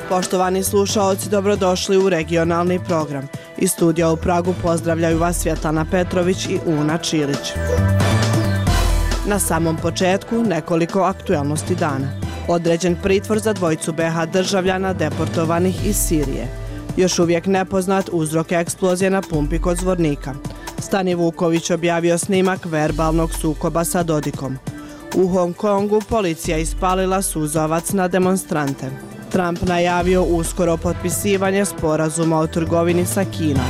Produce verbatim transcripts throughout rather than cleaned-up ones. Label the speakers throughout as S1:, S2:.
S1: Poštovani slušaoci, dobrodošli u regionalni program. Iz studija u Pragu pozdravljaju vas Svjetlana Petrović i Una Čilić. Na samom početku nekoliko aktualnosti dana. Određen pritvor za dvojicu be ha državljana deportovanih iz Sirije. Još uvijek nepoznat uzrok eksplozije na pumpi kod Zvornika. Stani Vuković objavio snimak verbalnog sukoba sa Dodikom. U Hong Kongu policija ispalila suzavac na demonstrante. Trump najavio uskoro potpisivanje sporazuma o trgovini sa Kinom.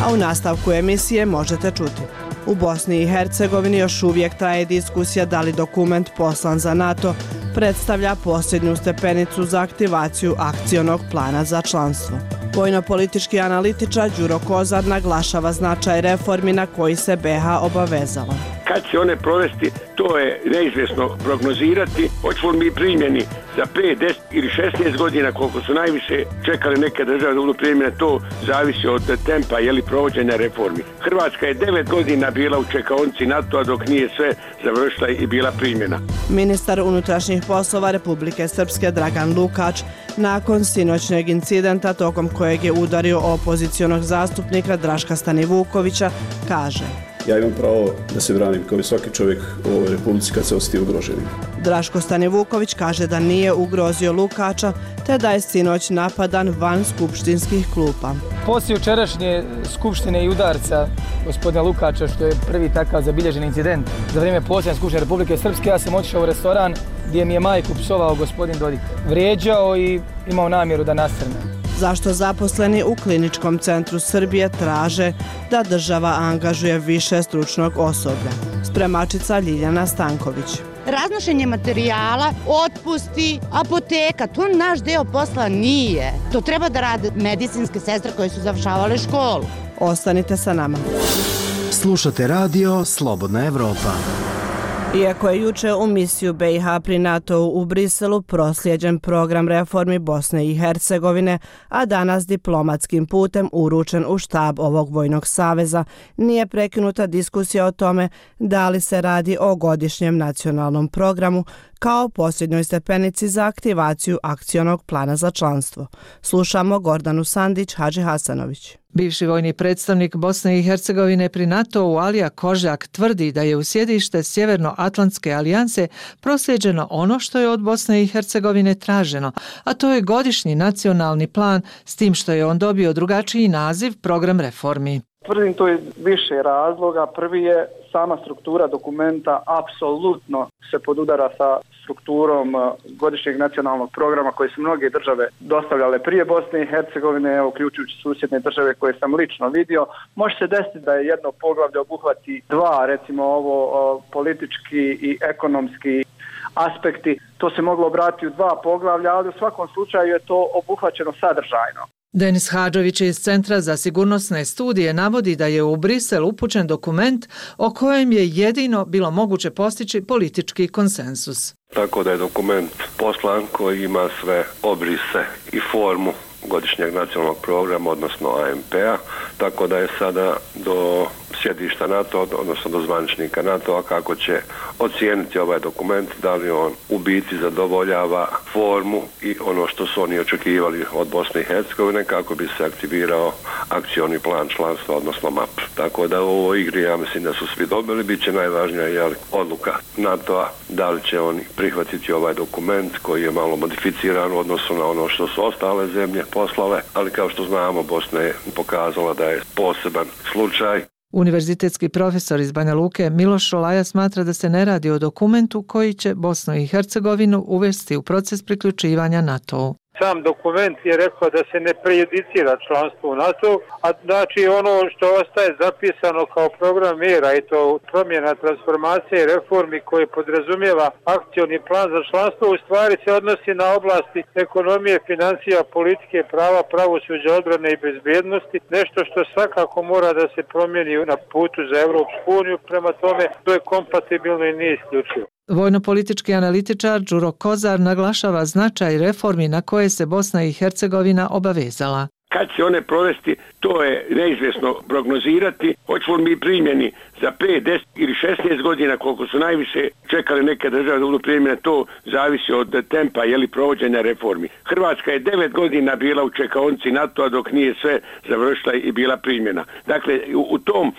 S1: A u nastavku emisije možete čuti. U Bosni i Hercegovini još uvijek traje diskusija da li dokument poslan za NATO predstavlja posljednju stepenicu za aktivaciju akcionog plana za članstvo. Vojno-politički analitičar Đuro Kozar naglašava značaj reformi na koji se be ha obavezala.
S2: Kad će one provesti, to je neizvjesno prognozirati. Hoćemo mi primjeni za pet, deset ili šesnaest godina, koliko su najviše čekali neke države da budu primjene, to zavisi od tempa jeli provođenja reformi. Hrvatska je devet godina bila u čekaonici NATO-a dok nije sve završila i bila primjena.
S1: Ministar unutrašnjih poslova Republike Srpske Dragan Lukač nakon sinoćnjeg incidenta tokom kojeg je udario opozicionog zastupnika Draška Stanivukovića kaže:
S3: Ja imam pravo da se branim kao i svaki čovjek u ovoj republici kad se osjeti ugroženim.
S1: Draško Stanivuković kaže da nije ugrozio Lukača, te da je sinoć napadan van skupštinskih klupa.
S4: Poslije jučerašnje skupštine i udarca gospodina Lukača, što je prvi takav zabilježen incident za vrijeme posljednje skupštine Republike Srpske, ja sam otišao u restoran gdje mi je majku psovao gospodin Dodik. Vrijeđao i imao namjeru da nasrne.
S1: Zašto zaposleni u Kliničkom centru Srbije traže da država angažuje više stručnog osoblja? Spremačica Ljiljana Stanković.
S5: Raznošenje materijala, otpusti, apoteka, to naš deo posla nije. To treba da rade medicinske sestre koje su završavale školu.
S1: Ostanite sa nama.
S6: Slušate radio Slobodna Evropa.
S1: Iako je juče u misiju be ha pri NATO-u u Briselu proslijeđen program reformi Bosne i Hercegovine, a danas diplomatskim putem uručen u štab ovog vojnog saveza, nije prekinuta diskusija o tome da li se radi o godišnjem nacionalnom programu kao posljednjoj stepenici za aktivaciju akcionog plana za članstvo. Slušamo Gordanu Sandić Hadži Hasanović.
S7: Bivši vojni predstavnik Bosne i Hercegovine pri NATO-u Alija Kožak tvrdi da je u sjedište Sjevernoatlantske alijanse proslijeđeno ono što je od Bosne i Hercegovine traženo, a to je godišnji nacionalni plan, s tim što je on dobio drugačiji naziv program reformi.
S8: Tvrdim to iz više razloga. Prvi je sama struktura dokumenta apsolutno se podudara sa strukturom godišnjeg nacionalnog programa koje su mnoge države dostavljale prije Bosne i Hercegovine, evo, uključujući susjedne države koje sam lično vidio. Može se desiti da je jedno poglavlje obuhvati dva, recimo ovo politički i ekonomski aspekti. To se moglo obratiti u dva poglavlja, ali u svakom slučaju je to obuhvaćeno sadržajno.
S7: Denis Hadžović iz Centra za sigurnosne studije navodi da je u Brisel upućen dokument o kojem je jedino bilo moguće postići politički konsensus.
S2: Tako da je dokument poslan koji ima sve obrise i formu godišnjeg nacionalnog programa, odnosno a em pe a, tako da je sada do sjedišta NATO, odnosno do zvaničnika NATO-a kako će ocijeniti ovaj dokument, da li on u biti zadovoljava formu i ono što su oni očekivali od Bosne i Hercegovine kako bi se aktivirao akcioni plan članstva, odnosno map. Tako da u ovoj igri ja mislim da su svi dobili, bit će najvažnija jeli, odluka NATO-a, da li će oni prihvatiti ovaj dokument koji je malo modificiran u odnosu na ono što su ostale zemlje poslale, ali kao što znamo Bosna je pokazala da je poseban slučaj.
S7: Univerzitetski profesor iz Banja Luke Miloš Šolaja smatra da se ne radi o dokumentu koji će Bosnu i Hercegovinu uvesti u proces priključivanja NATO-u.
S9: Sam dokument je rekao da se ne prejudicira članstvo u NATO, a znači ono što ostaje zapisano kao program mjera i to promjena, transformacije i reformi koje podrazumijeva akcioni plan za članstvo u stvari se odnosi na oblasti ekonomije, financija, politike, prava, pravosuđa, odbrane i bezbjednosti, nešto što svakako mora da se promijeni na putu za Europsku uniju, prema tome to je kompatibilno i nije isključivo.
S7: Vojno-politički analitičar Đuro Kozar naglašava značaj reformi na koje se Bosna i Hercegovina obavezala.
S10: Kad će one provesti, to je neizvjesno prognozirati. Hoćemo li mi primjeni za pet, deset ili šesnaest godina, koliko su najviše čekali neke države da budu primjene, to zavisi od tempa jeli provođenja reformi. Hrvatska je devet godina bila u čekaonici NATO-a dok nije sve završila i bila primjena. Dakle, u, u tom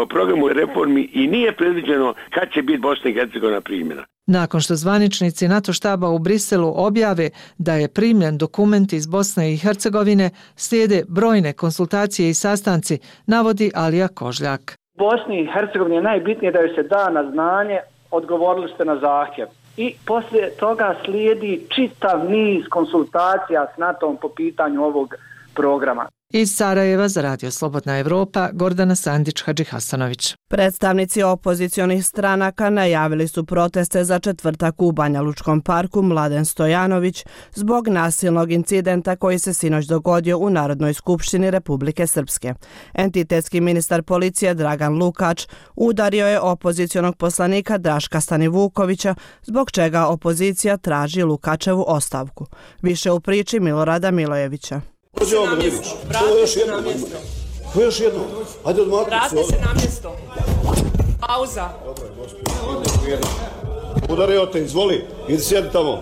S10: programu reformi i nije predviđeno kad će biti Bosna i Hercegovina primjena.
S7: Nakon što zvaničnici NATO štaba u Briselu objave da je primljen dokument iz Bosne i Hercegovine, slijede brojne konsultacije i sastanci, navodi Alija Kožljak.
S8: Bosni i Hercegovini je najbitnije da joj se da na znanje, odgovorili ste na zahtjev. I poslije toga slijedi čitav niz konsultacija s NATO-om po pitanju ovog programa.
S7: Iz Sarajeva za Radio Slobodna Evropa, Gordana Sandić-Hadžihasanović.
S1: Predstavnici opozicionih stranaka najavili su proteste za četvrtak u Banja Lučkom parku Mladen Stojanović zbog nasilnog incidenta koji se sinoć dogodio u Narodnoj skupštini Republike Srpske. Entitetski ministar policije Dragan Lukač udario je opozicionog poslanika Draška Stanivukovića, zbog čega opozicija traži Lukačevu ostavku. Više u priči Milorada Milojevića.
S11: Vrate se na mjesto. Vrate se na mjesto.
S3: Ko još jedno? Ajde odmaknuti se.
S11: Vrate se na mjesto. Pauza.
S3: Udario te, izvoli. Idi sjedi tamo.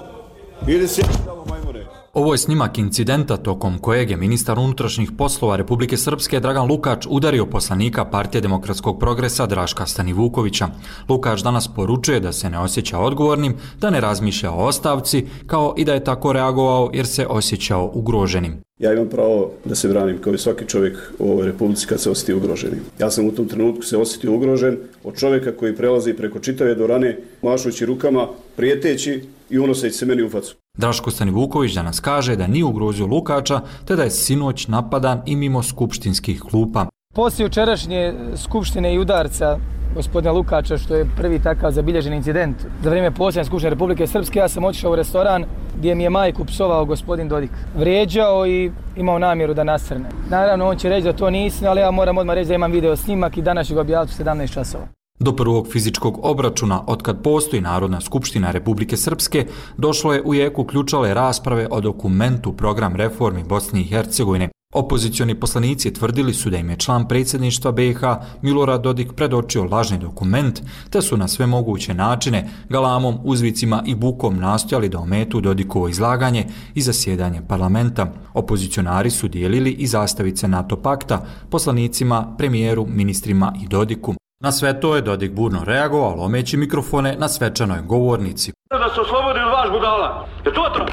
S3: Idi sjedi tamo, majmune.
S12: Ovo je snimak incidenta tokom kojeg je ministar unutrašnjih poslova Republike Srpske Dragan Lukač udario poslanika Partije demokratskog progresa Draška Stanivukovića. Lukač danas poručuje da se ne osjeća odgovornim, da ne razmišlja o ostavci, kao i da je tako reagovao jer se osjećao ugroženim.
S3: Ja imam pravo da se branim kao i svaki čovjek u ovoj Republici kad se osjeti ugroženim. Ja sam u tom trenutku se osjetio ugrožen od čovjeka koji prelazi preko čitave dvorane, mašući rukama, prijeteći i unoseći se meni u facu.
S12: Draško Stanivuković danas kaže da nije ugrozio Lukača, te da je sinoć napadan i mimo skupštinskih klupa.
S4: Poslije jučerašnje skupštine i udarca gospodina Lukača, što je prvi takav zabilježen incident za vrijeme posljednje skupštine Republike Srpske, ja sam otišao u restoran gdje mi je majku psovao gospodin Dodik. Vrijeđao i imao namjeru da nasrne. Naravno, on će reći da to nije istina, ali ja moram odmah reći da imam video snimak i danas ću ga objaviti u sedamnaest časova.
S12: Do prvog fizičkog obračuna, otkad postoji Narodna skupština Republike Srpske, došlo je u jeku ključale rasprave o dokumentu Program reformi Bosne i Hercegovine. Opozicioni poslanici tvrdili su da im je član predsjedništva B i H Milorad Dodik predočio lažni dokument, te su na sve moguće načine, galamom, uzvicima i bukom nastojali da ometu Dodikovo izlaganje i zasjedanje parlamenta. Opozicionari su dijelili i zastavice NATO pakta poslanicima, premijeru, ministrima i Dodiku. Na sve to je Dodik burno reagovao, lomeći mikrofone na svečanoj govornici.
S13: Da se oslobodi od vaš budala. Je to to?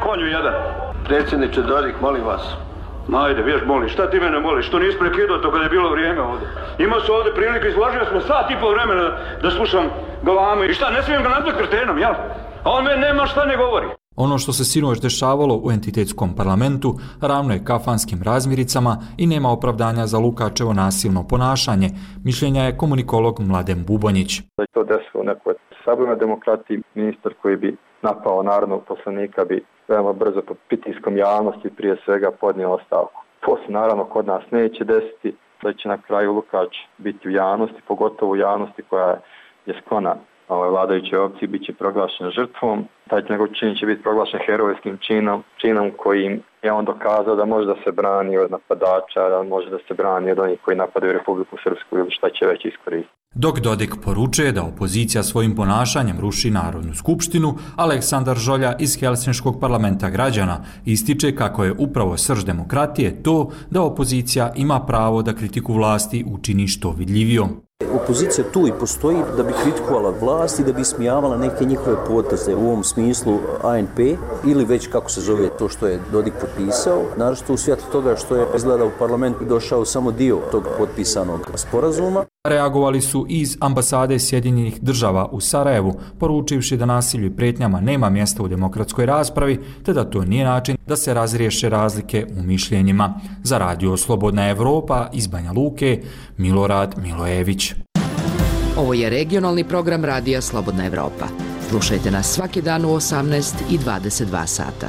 S13: Konju jedan.
S14: Predsjedniče Dodik, molim vas.
S13: Ajde, vješ molim, šta ti mene moliš? Što nisi prekidao to kada je bilo vrijeme ovdje? Imao su ovdje prilike, izložio smo sat i pol vremena da slušam galame. I šta, ne smijem ga nazvati kretenom, jel? A on meni nema šta ne govori.
S12: Ono što se sinoć dešavalo u entitetskom parlamentu ravno je kafanskim razmiricama i nema opravdanja za Lukačevo nasilno ponašanje, mišljenja je komunikolog Mladen Bubonjić.
S15: Da je to desilo u nekoj sabornoj demokratiji, ministar koji bi napao narodnog poslanika bi veoma brzo pod pritiskom javnosti prije svega podnio ostavku. To se naravno kod nas neće desiti, da će na kraju Lukač biti u javnosti, pogotovo u javnosti koja je sklona ovaj, vladajućoj opciji, bit će proglašen žrtvom. Taj njegov čin će biti proglašen herojskim činom, činom kojim je on dokazao da može da se brani od napadača, da može da se brani od onih koji napadaju Republiku Srpsku ili šta će već iskoristiti.
S12: Dok Dodik poručuje da opozicija svojim ponašanjem ruši Narodnu skupštinu, Aleksandar Žolja iz Helsinškog parlamenta građana ističe kako je upravo srž demokratije to da opozicija ima pravo da kritiku vlasti učini što vidljivijom.
S16: Opozicija tu i postoji da bi kritikovala vlast i da bi ismijavala neke njihove poteze, u ovom smislu A N P ili već kako se zove to što je Dodik potpisao, naročito u svjetlu toga što je izgleda u parlament došao samo dio tog potpisanog sporazuma.
S12: Reagovali su iz ambasade Sjedinjenih država u Sarajevu, poručivši da nasilju i pretnjama nema mjesta u demokratskoj raspravi, te da to nije način da se razriješe razlike u mišljenjima. Za Radio Slobodna Evropa iz Banja Luke, Milorad Milojević.
S17: Ovo je regionalni program Radija Slobodna Evropa. Slušajte nas svaki dan u osamnaest i dvadeset dva sata.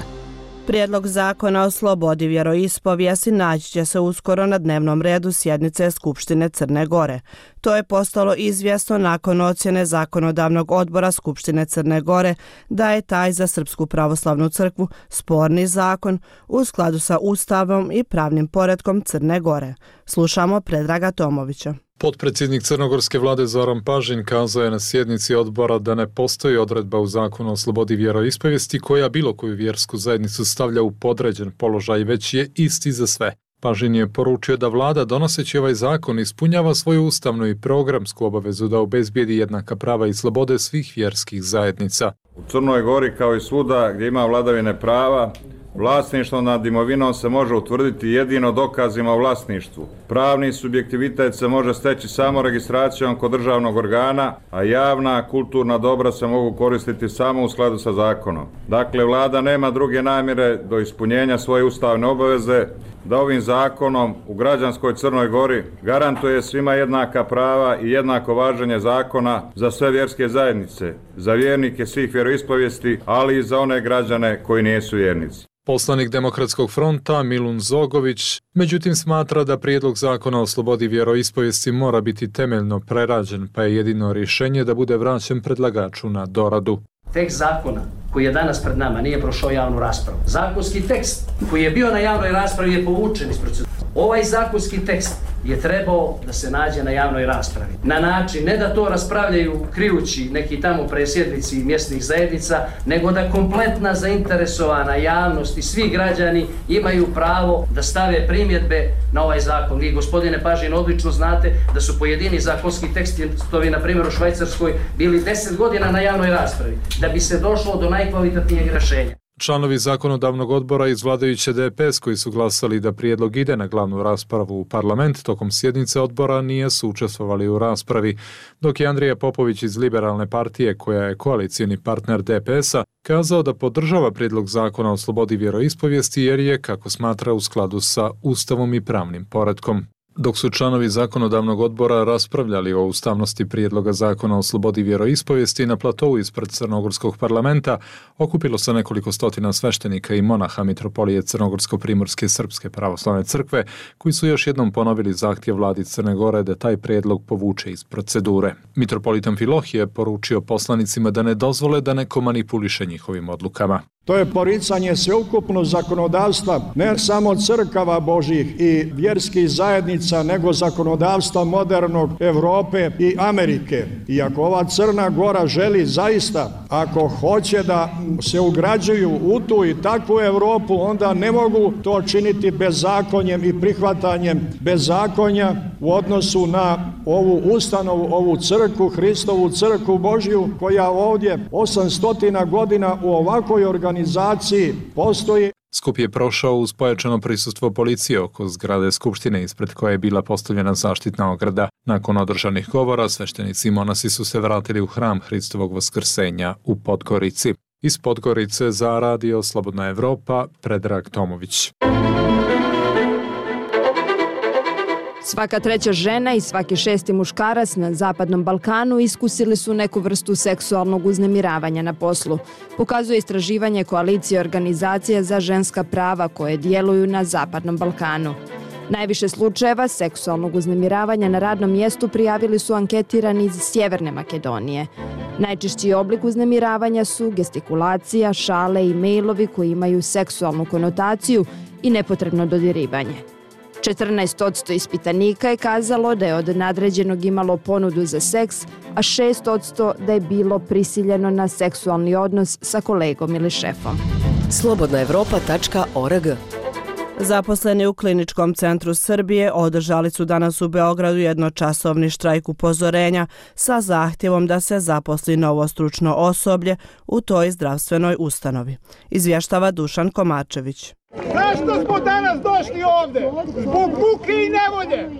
S1: Prijedlog zakona o slobodi vjeroispovijesti naći će se uskoro na dnevnom redu sjednice Skupštine Crne Gore. To je postalo izvjesno nakon ocjene Zakonodavnog odbora Skupštine Crne Gore da je taj za Srpsku pravoslavnu crkvu sporni zakon u skladu sa Ustavom i pravnim poretkom Crne Gore. Slušamo Predraga Tomovića.
S18: Potpredsjednik crnogorske vlade Zoran Pažin kazao je na sjednici odbora da ne postoji odredba u zakonu o slobodi vjeroispovijesti koja bilo koju vjersku zajednicu stavlja u podređen položaj, već je isti za sve. Pažin je poručio da vlada donoseći ovaj zakon ispunjava svoju ustavnu i programsku obavezu da obezbijedi jednaka prava i slobode svih vjerskih zajednica.
S19: U Crnoj Gori kao i svuda gdje ima vladavine prava, vlasništvo nad imovinom se može utvrditi jedino dokazima o vlasništvu. Pravni subjektivitet se može steći samo registracijom kod državnog organa, a javna kulturna dobra se mogu koristiti samo u skladu sa zakonom. Dakle, vlada nema druge namjere do ispunjenja svoje ustavne obaveze da ovim zakonom u građanskoj Crnoj Gori garantuje svima jednaka prava i jednako važenje zakona za sve vjerske zajednice, za vjernike svih vjeroispovijesti, ali i za one građane koji nisu vjernici.
S18: Poslanik Demokratskog fronta Milun Zogović međutim smatra da prijedlog zakona o slobodi vjeroispovijesti mora biti temeljno prerađen, pa je jedino rješenje da bude vraćen predlagaču na doradu.
S20: Tekst zakona koji je danas pred nama nije prošao javnu raspravu. Zakonski tekst koji je bio na javnoj raspravi je povučen iz procedure. Ovaj zakonski tekst je trebao da se nađe na javnoj raspravi. Na način, ne da to raspravljaju krijući neki tamo presjednici mjesnih zajednica, nego da kompletna zainteresovana javnost i svi građani imaju pravo da stave primjedbe na ovaj zakon. Vi, gospodine Pažin, odlično znate da su pojedini zakonski tekstovi, na primjer u Švajcarskoj, bili deset godina na javnoj raspravi, da bi se došlo do najkvalitatnijeg rješenja.
S18: Članovi zakonodavnog odbora iz vladajuće D P S koji su glasali da prijedlog ide na glavnu raspravu u parlament tokom sjednice odbora nisu učestvovali u raspravi, dok je Andrija Popović iz Liberalne partije, koja je koalicijni partner D P S-a, kazao da podržava prijedlog zakona o slobodi vjeroispovijesti jer je, kako smatra, u skladu sa Ustavom i pravnim poretkom. Dok su članovi zakonodavnog odbora raspravljali o ustavnosti prijedloga zakona o slobodi vjeroispovijesti na platovu ispred Crnogorskog parlamenta, okupilo se nekoliko stotina sveštenika i monaha Mitropolije Crnogorsko-primorske Srpske pravoslavne crkve, koji su još jednom ponovili zahtjev vladi Crne Gore da taj prijedlog povuče iz procedure. Mitropolit Amfilohije je poručio poslanicima da ne dozvole da neko manipuliše njihovim odlukama.
S21: To je poricanje sveukupnog zakonodavstva, ne samo crkava Božjih i vjerskih zajednica, nego zakonodavstva modernog Evrope i Amerike. I ako ova Crna Gora želi zaista, ako hoće da se ugrađuju u tu i takvu Evropu, onda ne mogu to činiti bezakonjem i prihvatanjem bezakonja u odnosu na ovu ustanovu, ovu crkvu, Hristovu crkvu Božju, koja ovdje osamsto godina u ovakvoj organizaciji organizaciji postoji.
S18: Skup je prošao uz pojačano prisustvo policije oko zgrade Skupštine ispred koje je bila postavljena zaštitna ograda. Nakon održanih govora, sveštenici i monasi su se vratili u hram Hristovog vaskrsenja u Podgorici. Iz Podgorice za Radio Slobodna Evropa, Predrag Tomović.
S22: Svaka treća žena i svaki šesti muškarac na Zapadnom Balkanu iskusili su neku vrstu seksualnog uznemiravanja na poslu, pokazuje istraživanje koalicije organizacija za ženska prava koje djeluju na Zapadnom Balkanu. Najviše slučajeva seksualnog uznemiravanja na radnom mjestu prijavili su anketirani iz Sjeverne Makedonije. Najčešći oblik uznemiravanja su gestikulacija, šale i mailovi koji imaju seksualnu konotaciju i nepotrebno dodirivanje. četrnaest posto ispitanika je kazalo da je od nadređenog imalo ponudu za seks, a šest posto da je bilo prisiljeno na seksualni odnos sa kolegom ili šefom.
S17: slobodna evropa tačka org.
S1: Zaposleni u Kliničkom centru Srbije održali su danas u Beogradu jednočasovni štrajk upozorenja sa zahtjevom da se zaposli novo stručno osoblje u toj zdravstvenoj ustanovi. Izvještava Dušan Komačević.
S23: Zašto smo danas došli ovde? Zbog muke i nevolje!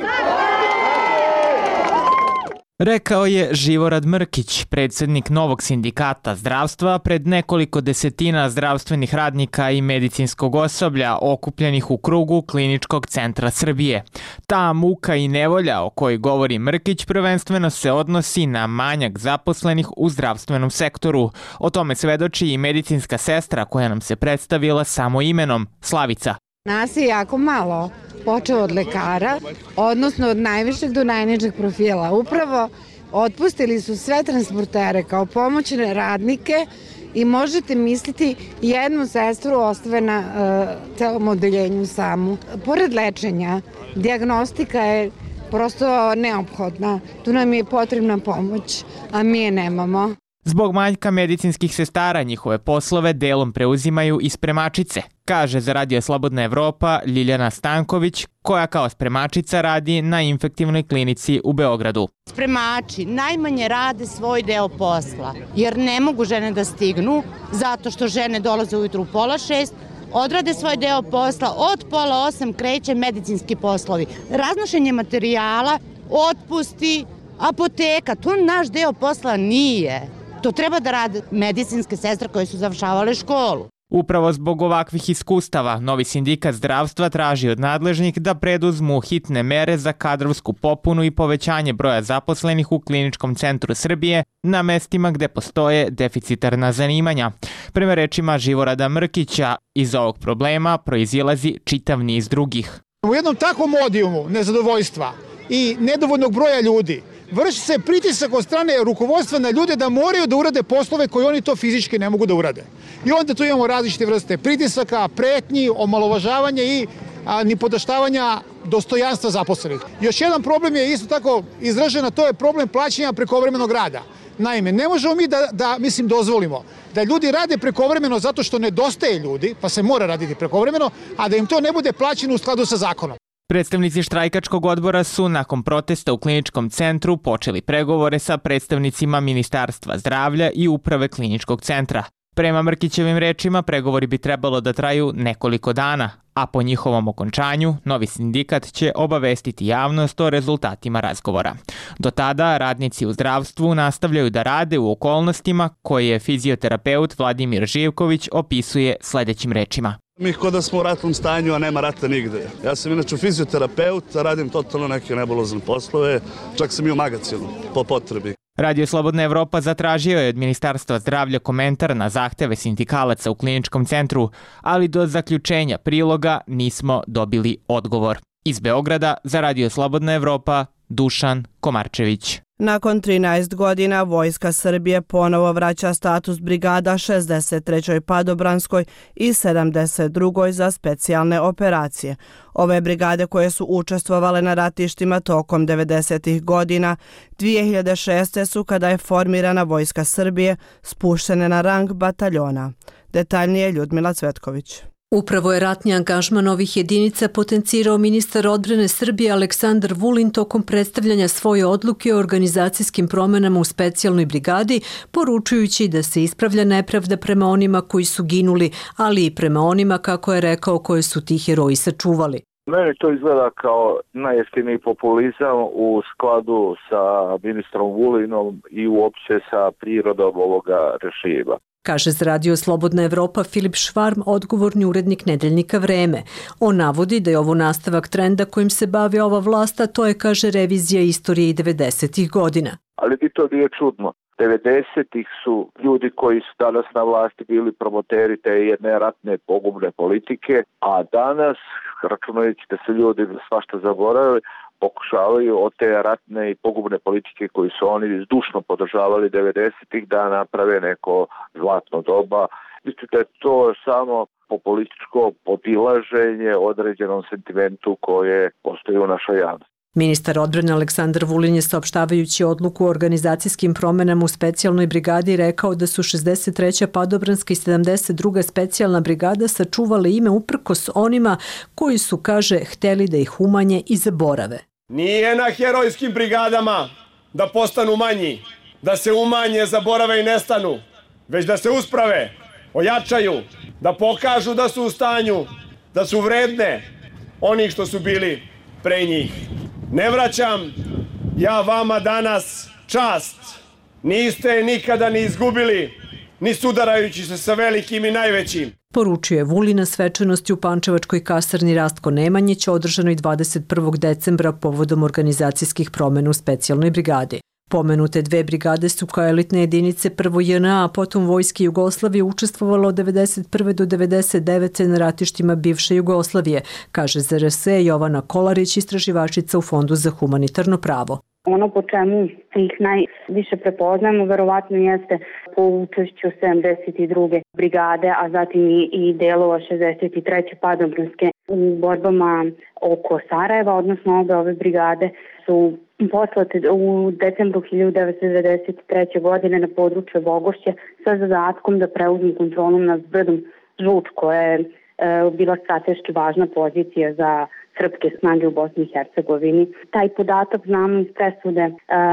S2: Rekao je Živorad Mrkić, predsjednik novog sindikata zdravstva, pred nekoliko desetina zdravstvenih radnika i medicinskog osoblja okupljenih u krugu Kliničkog centra Srbije. Ta muka i nevolja o kojoj govori Mrkić prvenstveno se odnosi na manjak zaposlenih u zdravstvenom sektoru. O tome svedoči i medicinska sestra koja nam se predstavila samo imenom, Slavica.
S5: Nas je jako malo, počeo od lekara, odnosno od najvišeg do najnižeg profila. Upravo otpustili su sve transportere kao pomoćne radnike i možete misliti jednu sestru ostave na uh, celom odeljenju samu. Pored lečenja, dijagnostika je prosto neophodna. Tu nam je potrebna pomoć, a mi je nemamo.
S2: Zbog manjka medicinskih sestara njihove poslove delom preuzimaju i spremačice, kaže za Radio Slobodna Evropa Ljiljana Stanković, koja kao spremačica radi na infektivnoj klinici u Beogradu.
S6: Spremači najmanje rade svoj deo posla, jer ne mogu žene da stignu, zato što žene dolaze ujutru u pola šest, odrade svoj deo posla, od pola osam kreće medicinski poslovi. Raznošenje materijala, otpusti, apoteka, to naš deo posla nije. To treba da rade medicinske sestre koje su završavale školu.
S2: Upravo zbog ovakvih iskustava, novi sindikat zdravstva traži od nadležnih da preduzmu hitne mere za kadrovsku popunu i povećanje broja zaposlenih u Kliničkom centru Srbije na mestima gde postoje deficitarna zanimanja. Prema rečima Živorada Mrkića, iz ovog problema proizilazi čitav niz drugih.
S23: U jednom takvom odijumu nezadovoljstva i nedovoljnog broja ljudi vrši se pritisak od strane rukovodstva na ljude da moraju da urade poslove koje oni to fizički ne mogu da urade. I onda tu imamo različite vrste pritisaka, pretnji, omalovažavanja i a, nipodaštavanja dostojanstva zaposlenih. Još jedan problem je isto tako izražen, a to je problem plaćanja prekovremenog rada. Naime, ne možemo mi da, da mislim, dozvolimo da ljudi rade prekovremeno zato što nedostaje ljudi, pa se mora raditi prekovremeno, a da im to ne bude plaćeno u skladu sa zakonom.
S2: Predstavnici štrajkačkog odbora su nakon protesta u Kliničkom centru počeli pregovore sa predstavnicima Ministarstva zdravlja i uprave Kliničkog centra. Prema Mrkićevim rečima, pregovori bi trebalo da traju nekoliko dana, a po njihovom okončanju novi sindikat će obavestiti javnost o rezultatima razgovora. Do tada radnici u zdravstvu nastavljaju da rade u okolnostima koje je fizioterapeut Vladimir Živković opisuje sledećim rečima.
S24: Mi kod da smo u ratnom stanju, a nema rata nigde. Ja sam inače fizioterapeut, radim totalno neke nebulozne poslove, čak sam i u magazinu, po potrebi.
S2: Radio Slobodna Evropa zatražio je od Ministarstva zdravlja komentar na zahteve sindikalaca u Kliničkom centru, ali do zaključenja priloga nismo dobili odgovor. Iz Beograda za Radio Slobodna Evropa, Dušan Komarčević.
S1: Nakon trinaest godina Vojska Srbije ponovo vraća status brigada šezdeset trećoj padobranskoj i sedamdeset drugoj za specijalne operacije. Ove brigade koje su učestvovale na ratištima tokom devedesetih godina, dvije hiljade šeste su kada je formirana Vojska Srbije spuštene na rang bataljona. Detaljnije Ljudmila Cvetković.
S25: Upravo je ratni angažman ovih jedinica potencirao ministar odbrane Srbije Aleksandar Vulin tokom predstavljanja svoje odluke o organizacijskim promenama u specijalnoj brigadi, poručujući da se ispravlja nepravda prema onima koji su ginuli, ali i prema onima, kako je rekao, koje su ti heroji sačuvali.
S26: Meni to izgleda kao najjeftiniji populizam u skladu sa ministrom Vulinom i uopće sa prirodom ovoga režima.
S25: Kaže za Radio Slobodna Evropa Filip Švarm, odgovorni urednik nedeljnika Vreme. On navodi da je ovo nastavak trenda kojim se bavi ova vlast, a to je, kaže, revizija istorije i devedesetih godina.
S26: Ali bi to nije čudno. devedesetih su ljudi koji su danas na vlasti bili promoteri te jedne ratne pogubne politike, a danas, računajući da se ljudi svašta zaboravili, pokušavaju od te ratne i pogubne politike koji su oni zdušno podržavali devedesetih da naprave neko zlatno doba. Mislim da je to samo populističko podilaženje određenom sentimentu koje postoji u našoj javnosti.
S25: Ministar odbrane Aleksandar Vulin je, saopštavajući odluku o organizacijskim promenama u specijalnoj brigadi, rekao da su šezdeset treća padobranska i sedamdeset druga specijalna brigada sačuvale ime uprkos onima koji su, kaže, hteli da ih umanje i zaborave.
S27: Nije na herojskim brigadama da postanu manji, da se umanje, zaborave i nestanu, već da se usprave, ojačaju, da pokažu da su u stanju, da su vredne onih što su bili pre njih. Ne vraćam ja vama danas čast niste je nikada ni izgubili, ni sudarajući se sa velikim i najvećim.
S25: Poručio je Vulin na svečanosti u pančevačkoj kasarni Rastko Nemanjić održanoj dvadeset prvog decembra povodom organizacijskih promjena u specijalnoj brigadi. Pomenute dve brigade su kao elitne jedinice prvo J N A, a potom Vojske Jugoslavije učestvovalo od devedeset prve do devedeset devete na ratištima bivše Jugoslavije, kaže Z R S Jovana Kolarić, istraživačica u Fondu za humanitarno pravo.
S3: Ono po čemu ih najviše prepoznamo verovatno jeste po učešću sedamdeset druge brigade, a zatim i delova šezdeset treće padobranske u borbama oko Sarajeva, odnosno obe ove brigade su poslate u decembru hiljadu devetsto devedeset treće. godine na području Bogošća sa zadatkom da preuzmu kontrolu nad brdom Žuč, koja je e, bila strateški važna pozicija za srpske snage u Bosni i Hercegovini. Taj podatak znamo iz presude e,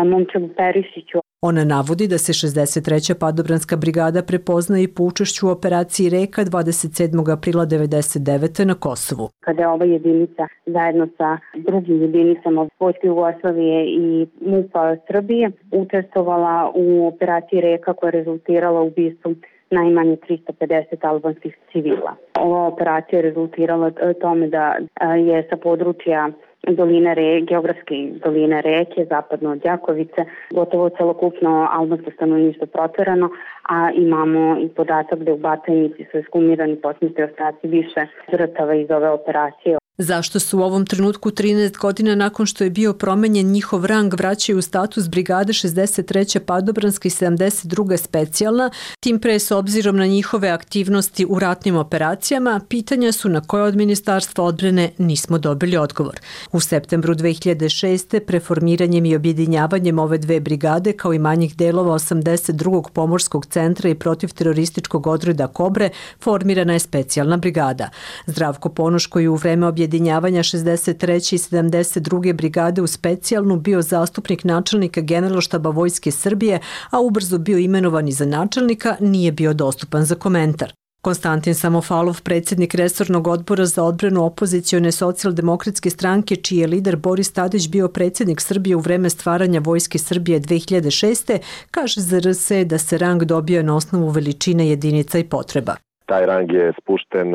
S3: Momčaru Perišiću.
S25: Ona navodi da se šezdeset treća padobranska brigada prepoznaje i po učešću u operaciji Reka dvadeset sedmog aprila devedeset devete. na Kosovu.
S3: Kada je ova jedinica zajedno sa drugim jedinicama Vojske Jugoslavije i MUP-a Srbije učestvovala u operaciji Reka koja je rezultirala ubistvom najmanje tristo pedeset albanskih civila. Ova operacija je rezultirala tome da je sa područja doline Re, geografske doline Reke, zapadno od Đakovice, gotovo celokupno albansko stanovništvo proterano, a imamo i podatak da u Batajnici su ekshumirani posmrtni ostaci više žrtava iz ove operacije.
S25: Zašto su u ovom trenutku trinaest godina nakon što je bio promenjen njihov rang vraćaju u status brigade šezdeset treća padobranska i sedamdeset druga specijalna, tim pre s obzirom na njihove aktivnosti u ratnim operacijama, pitanja su na koje od Ministarstva odbrane nismo dobili odgovor. U septembru dve hiljade šeste. preformiranjem i objedinjavanjem ove dve brigade kao i manjih delova osamdeset drugog pomorskog centra i protivterorističkog odreda Kobre formirana je specijalna brigada. Zdravko Ponoš, koji u vreme objedinjavanja šezdeset treće i sedamdeset druge brigade u specijalnu bio zastupnik načelnika Generalštaba Vojske Srbije, a ubrzo bio imenovan i za načelnika, nije bio dostupan za komentar. Konstantin Samofalov, predsjednik resornog odbora za odbranu opozicione socijaldemokratske stranke, čiji je lider Boris Tadić bio predsjednik Srbije u vreme stvaranja Vojske Srbije dve hiljade šeste. kaže Z R S da se rang dobio na osnovu veličine jedinica i potreba.
S4: Taj rang je spušten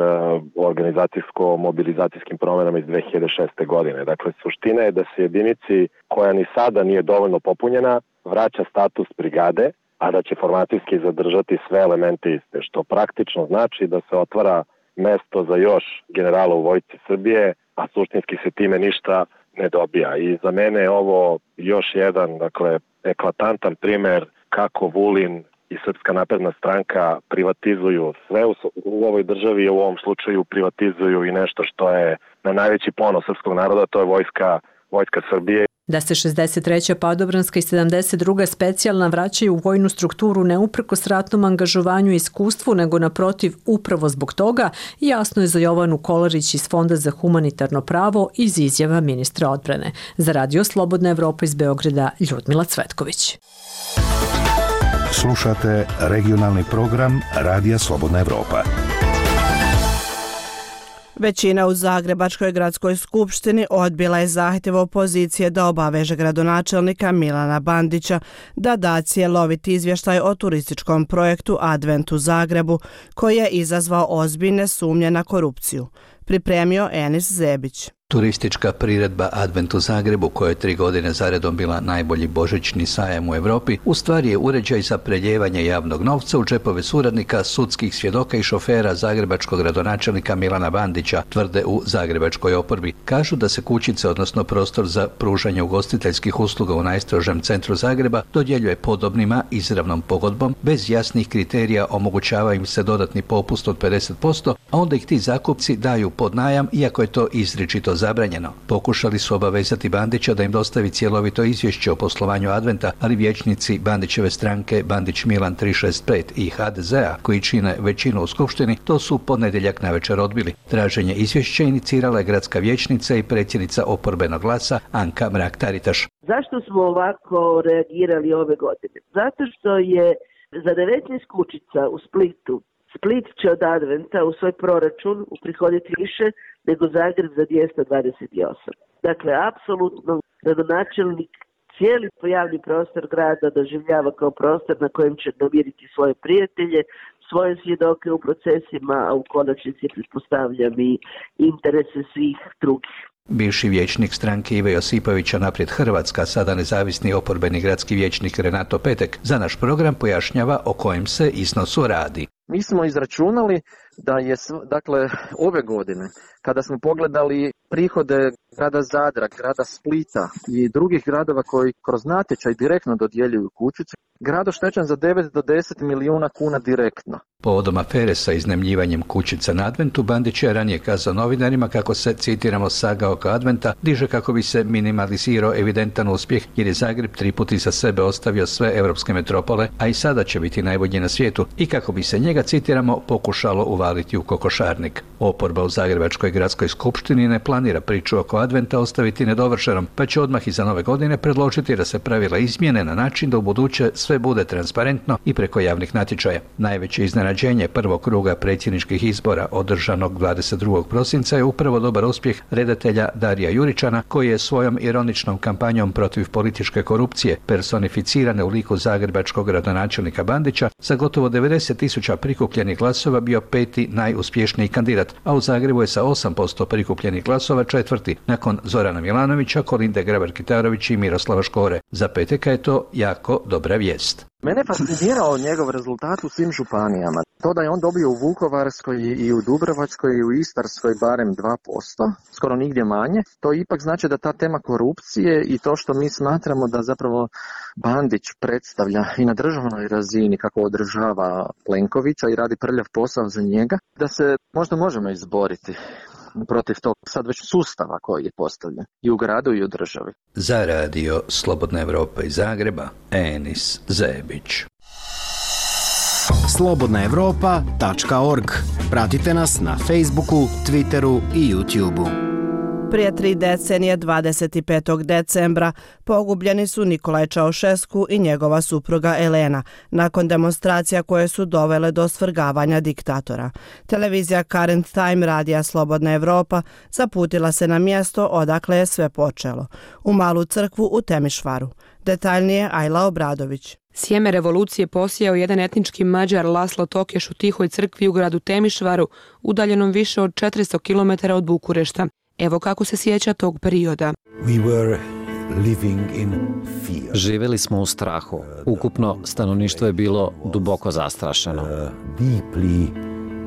S4: organizacijsko-mobilizacijskim promjenama iz dve hiljade šeste. godine. Dakle, suština je da se jedinici koja ni sada nije dovoljno popunjena vraća status brigade, a da će formacijski zadržati sve elemente iste, što praktično znači da se otvara mesto za još generala u Vojsci Srbije, a suštinski se time ništa ne dobija. I za mene je ovo još jedan, dakle, eklatantan primer kako Vulin i Srpska napredna stranka privatizuju sve u, u ovoj državi, i u ovom slučaju privatizuju i nešto što je na najveći ponos srpskog naroda, to je vojska, vojska Srbije.
S25: Da se šezdeset treća padobranska i sedamdeset druga specijalna vraćaju u vojnu strukturu ne uprkos ratnom angažovanju i iskustvu, nego naprotiv upravo zbog toga, jasno je za Jovanu Kolarić iz Fonda za humanitarno pravo iz izjava ministra odbrane. Za Radio Slobodna Evropa iz Beograda, Ljudmila Cvetković.
S7: Slušate regionalni program Radija Slobodna Evropa.
S1: Većina u Zagrebačkoj gradskoj skupštini odbila je zahtjev opozicije da obaveže gradonačelnika Milana Bandića da da cjeloviti izvještaj o turističkom projektu Advent u Zagrebu, koji je izazvao ozbiljne sumnje na korupciju. Pripremio Enis Zebić.
S8: Turistička priredba Advent u Zagrebu, koja je tri godine zaredom bila najbolji božićni sajam u Evropi, u stvari je uređaj za preljevanje javnog novca u džepove suradnika, sudskih svjedoka i šofera zagrebačkog gradonačelnika Milana Bandića, tvrde u zagrebačkoj oporbi. Kažu da se kućice, odnosno prostor za pružanje ugostiteljskih usluga u najstrožem centru Zagreba, dodjeljuje podobnima izravnom pogodbom, bez jasnih kriterija omogućava im se dodatni popust od pedeset posto, a onda ih ti zakupci daju pod najam, iako je to izričito zabranjeno. Pokušali su obavezati Bandića da im dostavi cjelovito izvješće o poslovanju Adventa, ali vijećnici Bandićeve stranke Bandić Milan tri šest pet i H D Z-a, koji čine većinu u skupštini, to su ponedjeljak navečer odbili. Traženje izvješća inicirala je gradska vijećnica i predsjednica oporbenog glasa Anka Mrak-Taritaš.
S9: Zašto smo ovako reagirali ove godine? Zato što je za devetnaest kućica u Splitu Split će od Adventa u svoj proračun uprihoditi više nego Zagreb za dvjesto dvadeset osam. Dakle, apsolutno gradonačelnik cijeli javni prostor grada doživljava kao prostor na kojem će namiriti svoje prijatelje, svoje svjedoke u procesima, a u konačnici pretpostavljam i interese svih drugih.
S8: Bivši vijećnik stranke Ive Josipovića Naprijed Hrvatska, sada nezavisni oporbeni gradski vijećnik Renato Petek, za naš program pojašnjava o kojem se iznosu radi.
S10: Mi smo izračunali da je, dakle, ove godine, kada smo pogledali prihode grada Zadra, grada Splita i drugih gradova koji kroz natječaj direktno dodjeljuju kućice, grad oštećen za devet do deset milijuna kuna direktno.
S8: Povodom afere sa iznajmljivanjem kućica na Adventu, Bandić je ranije kazao novinarima kako se, citiramo, saga oko Adventa diže kako bi se minimalizirao evidentan uspjeh, jer je Zagreb tri puta iza sebe ostavio sve europske metropole, a i sada će biti najbolji na svijetu, i kako bi se njega, citiramo, pokušalo uvaliti u kokošarnik. Oporba u Zagrebačkoj gradskoj skupštini ne planira priču oko Adventa ostaviti nedovršenom, pa će odmah iza nove godine predložiti da se pravila izmjene na način da ubuduće sve bude transparentno i preko javnih natječaja. Najveće iznenađenje prvog kruga predsjedničkih izbora održanog dvadeset drugog prosinca je upravo dobar uspjeh redatelja Darija Juričana, koji je svojom ironičnom kampanjom protiv političke korupcije, personificirane u liku zagrebačkog gradonačelnika Bandića, sa gotovo devedeset tisuća prikupljenih glasova bio peti najuspješniji kandidat, a u Zagrebu je sa osam posto prikupljenih glasova četvrti, nakon Zorana Milanovića, Kolinde Grabar-Kitarović i Miroslava Škore. Za Peteka je to jako dobra vijest.
S10: Mene fascinirao njegov rezultat u svim županijama. To da je on dobio u Vukovarskoj i u Dubrovačkoj i u Istarskoj barem dva posto, skoro nigdje manje, to ipak znači da ta tema korupcije i to što mi smatramo da zapravo Bandić predstavlja i na državnoj razini kako održava Plenkovića i radi prljav posao za njega, da se možda možemo izboriti protiv tog sad već sustava koji je postavljen i u gradu i u državi.
S8: Za radio Slobodna Evropa iz Zagreba, Enis Zebić.
S11: slobodna evropa tačka org. Pratite nas na Facebooku, Twitteru i YouTubeu.
S1: Prije tri decenije, dvadeset petog decembra, pogubljeni su Nikolaj Čaušesku i njegova supruga Elena, nakon demonstracija koje su dovele do svrgavanja diktatora. Televizija Current Time radija Slobodna Evropa zaputila se na mjesto odakle je sve počelo, u malu crkvu u Temišvaru. Detaljnije Ajla Obradović.
S12: Sjeme revolucije posijao jedan etnički Mađar Laslo Tokeš u tihoj crkvi u gradu Temišvaru, udaljenom više od četiristo kilometara od Bukurešta. Evo kako se sjeća tog perioda.
S13: We were living in fear.
S14: Živjeli smo u strahu. Ukupno stanovništvo je bilo duboko zastrašeno.
S13: Uh, deeply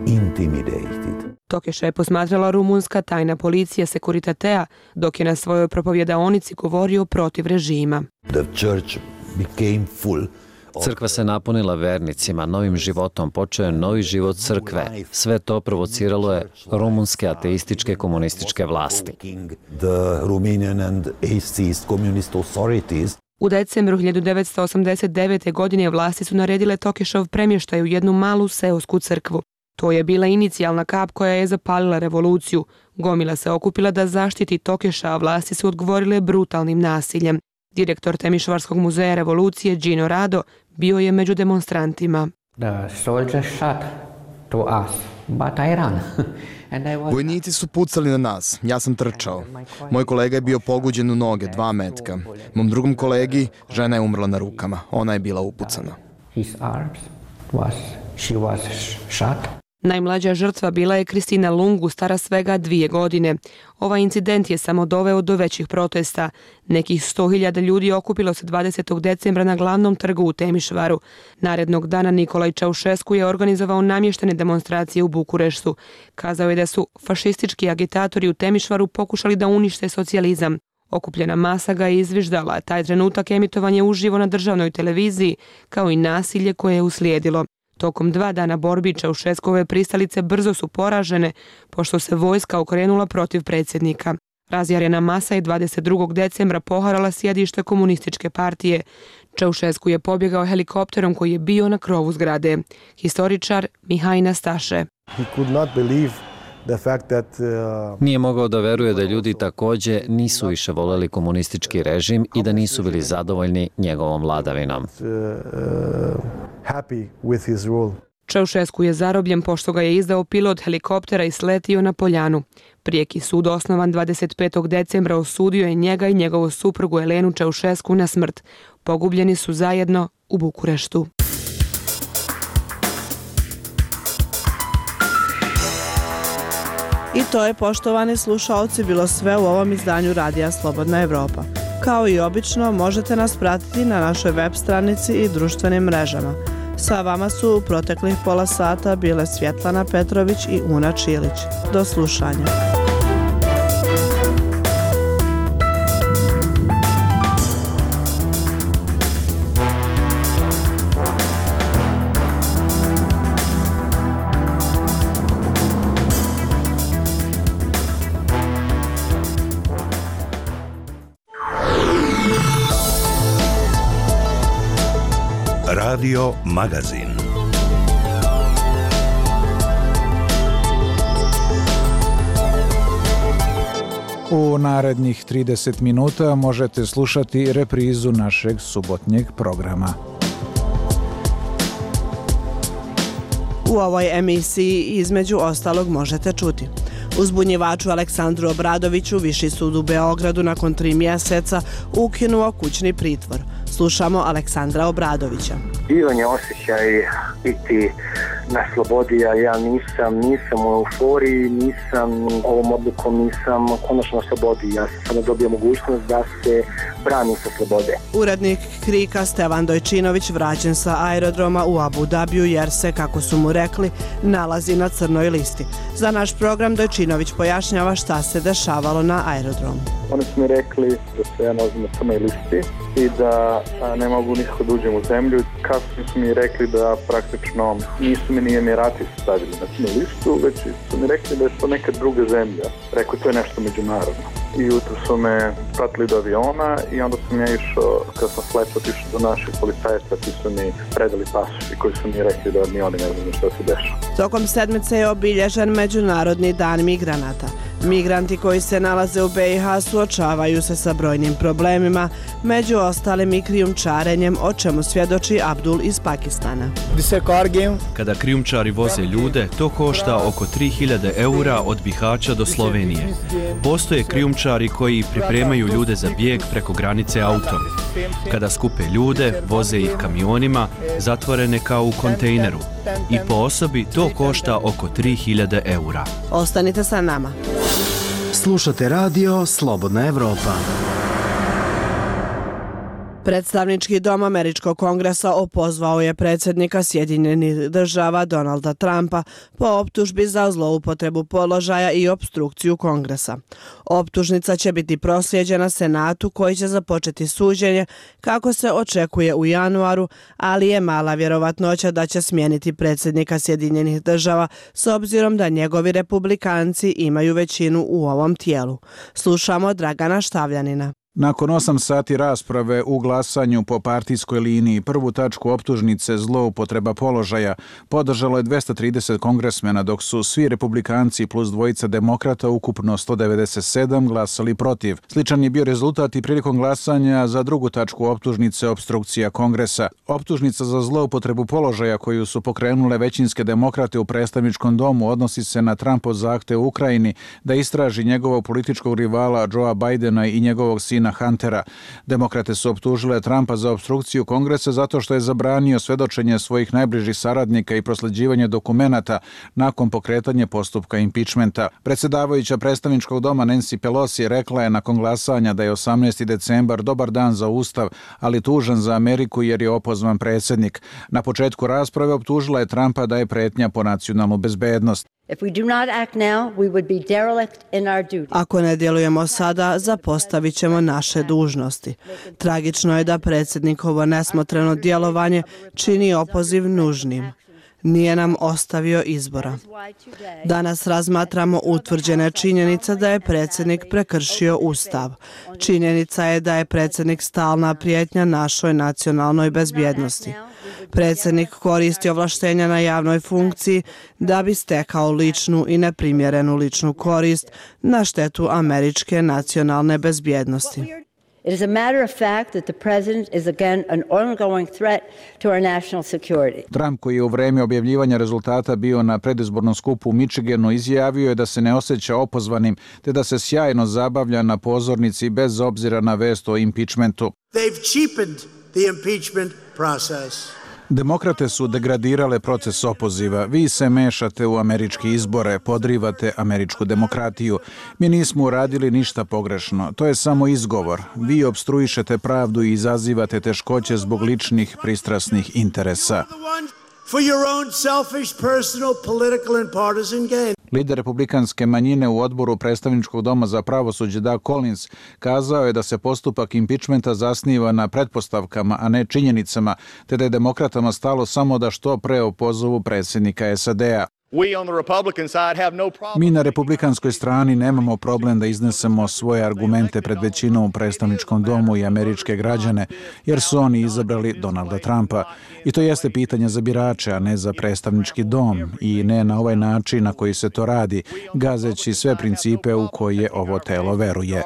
S13: intimidated.
S12: Tokeša je posmatrala rumunska tajna policija Securitatea, dok je na svojoj propovjedaonici govorio protiv režima.
S13: The church became full.
S14: Crkva se napunila vernicima, novim životom počeo je novi život crkve. Sve to provociralo je rumunske ateističke komunističke vlasti.
S12: U decembru hiljadu devetsto osamdeset devete. godine vlasti su naredile Tokešov premještaj u jednu malu seosku crkvu. To je bila inicijalna kap koja je zapalila revoluciju. Gomila se okupila da zaštiti Tokeša, a vlasti su odgovorile brutalnim nasiljem. Direktor Temišvarskog muzeja revolucije Gino Rado bio je među demonstrantima.
S15: Vojnici su pucali na nas, ja sam trčao. Moj kolega je bio pogođen u noge, dva metka. Mom drugom kolegi žena je umrla na rukama, ona je bila upucana.
S12: Najmlađa žrtva bila je Kristina Lungu, stara svega dvije godine. Ovaj incident je samo doveo do većih protesta. Nekih sto hiljada ljudi okupilo se dvadesetog decembra na glavnom trgu u Temišvaru. Narednog dana Nikolaj Čaušesku je organizovao namještene demonstracije u Bukureštu. Kazao je da su fašistički agitatori u Temišvaru pokušali da unište socijalizam. Okupljena masa ga je izviždala, a taj trenutak emitovanje uživo na državnoj televiziji, kao i nasilje koje je uslijedilo. Tokom dva dana borbi Čaušeskove pristalice brzo su poražene, pošto se vojska okrenula protiv predsjednika. Razjarena masa je dvadeset drugog decembra poharala sjedište komunističke partije. Čaušesku je pobjegao helikopterom koji je bio na krovu zgrade. Historičar Mihaj Nastaše.
S14: Nije mogao da veruje da ljudi također nisu više voljeli komunistički režim i da nisu bili zadovoljni njegovom vladavinom.
S12: Čaušesku je zarobljen pošto ga je izdao pilot helikoptera i sletio na Poljanu. Prijeki sud osnovan dvadeset petog decembra osudio je njega i njegovu suprugu Elenu Čaušesku na smrt. Pogubljeni su zajedno u Bukureštu.
S1: I to je, poštovani slušaoci, bilo sve u ovom izdanju Radija Slobodna Evropa. Kao i obično, možete nas pratiti na našoj web stranici i društvenim mrežama. Sa vama su u proteklih pola sata bile Svjetlana Petrović i Una Čilić. Do slušanja.
S7: Radio Magazin.
S16: U narednih trideset minuta možete slušati reprizu našeg subotnjeg programa.
S1: U ovoj emisiji između ostalog možete čuti: uzbunjivaču Aleksandru Obradoviću Viši sud u Beogradu nakon tri mjeseca ukinuo kućni pritvor. Slušamo Aleksandra Obradovića.
S17: Divan je osjećaj biti na slobodi, a ja nisam, nisam u euforiji, nisam ovom odlukom, nisam konačno na slobodi. Ja sam samo dobio mogućnost da se branim sa slobode.
S1: Urednik Krika Stevan Dojčinović vraćen sa aerodroma u Abu Dabiju jer se, kako su mu rekli, nalazi na crnoj listi. Za naš program Dojčinović pojašnjava šta se dešavalo na aerodromu.
S18: Oni su mi rekli da se ja nalazim na crnoj listi i da a, ne mogu nikako da uđem u zemlju. Kasnije su mi rekli da praktično nisu mi ni Emirati stavili na crnu listu, već su mi rekli da je to neka druga zemlja. Rekao, to je nešto međunarodno. I jutro su me pratili do aviona i onda sam ja išao, kad sam sletao, otišao do naših policajaca koji su mi predali pasoš i koji su mi rekli da ni oni ne znaju što se dešava.
S1: Tokom sedmice je obilježen Međunarodni dan migranata. Migranti koji se nalaze u be i ha suočavaju se sa brojnim problemima, među ostalim i krijumčarenjem, o čemu svjedoči Abdul iz Pakistana.
S19: Kada krijumčari voze ljude, to košta oko tri hiljade eura od Bihaća do Slovenije. Postoje krijumčari koji pripremaju ljude za bijeg preko granice autom. Kada skupe ljude, voze ih kamionima, zatvorene kao u kontejneru. I po osobi to košta oko tri hiljade eura.
S1: Ostanite sa nama.
S11: Slušate radio Slobodna Evropa.
S1: Predstavnički dom Američkog kongresa opozvao je predsjednika Sjedinjenih država Donalda Trumpa po optužbi za zloupotrebu položaja i opstrukciju kongresa. Optužnica će biti proslijeđena Senatu koji će započeti suđenje kako se očekuje u januaru, ali je mala vjerovatnoća da će smijeniti predsjednika Sjedinjenih država s obzirom da njegovi republikanci imaju većinu u ovom tijelu. Slušamo Dragana Štavljanina.
S16: Nakon osam sati rasprave u glasanju po partijskoj liniji, prvu tačku optužnice zloupotreba položaja podržalo je dvesta trideset kongresmena, dok su svi republikanci plus dvojica demokrata, ukupno sto devedeset sedam, glasali protiv. Sličan je bio rezultat i prilikom glasanja za drugu tačku optužnice opstrukcija kongresa. Optužnica za zloupotrebu položaja koju su pokrenule većinske demokrate u predstavničkom domu odnosi se na Trumpov zahtev u Ukrajini da istraži njegovog političkog rivala Joea Bidena i njegovog sina Huntera. Demokrate su optužile Trumpa za opstrukciju kongresa zato što je zabranio svedočenje svojih najbližih saradnika i prosleđivanje dokumenata nakon pokretanja postupka impičmenta. Predsjedavajuća predstavničkog doma Nancy Pelosi rekla je nakon glasanja da je osamnaesti decembar dobar dan za Ustav, ali tužan za Ameriku jer je opozvan predsjednik. Na početku rasprave optužila je Trumpa da je pretnja po nacionalnu bezbednost.
S1: Ako ne djelujemo sada, zapostavit ćemo naše dužnosti. Tragično je da predsjednikovo nesmotreno djelovanje čini opoziv nužnim. Nije nam ostavio izbora. Danas razmatramo utvrđene činjenice da je predsjednik prekršio Ustav. Činjenica je da je predsjednik stalna prijetnja našoj nacionalnoj bezbjednosti. Predsjednik koristi ovlaštenja na javnoj funkciji da bi stekao ličnu i neprimjerenu ličnu korist na štetu američke nacionalne bezbjednosti.
S5: It is a matter of fact that the president is again an ongoing threat to our national security.
S16: Trump, koji je u vreme objavljivanja rezultata bio na predizbornom skupu u Michiganu, izjavio je da se ne osjeća opozvanim te da se sjajno zabavlja na pozornici bez obzira na vest o impeachmentu.
S6: They've cheapened the impeachment process.
S16: Demokrate su degradirale proces opoziva. Vi se mešate u američke izbore, podrivate američku demokratiju. Mi nismo uradili ništa pogrešno. To je samo izgovor. Vi opstruišete pravdu i izazivate teškoće zbog ličnih pristrasnih interesa.
S6: For your own selfish, personal, political and partisan gain.
S16: Lider republikanske manjine u odboru predstavničkog doma za pravosuđe Doug Collins kazao je da se postupak impičmenta zasniva na pretpostavkama, a ne činjenicama, te da je demokratama stalo samo da što pre opozovu predsjednika S A D-a. Mi na republikanskoj strani nemamo problem da iznesemo svoje argumente pred većinom u predstavničkom domu i američke građane, jer su oni izabrali Donalda Trumpa. I to jeste pitanje za birače, a ne za predstavnički dom, i ne na ovaj način na koji se to radi, gazeći sve principe u koje ovo telo veruje.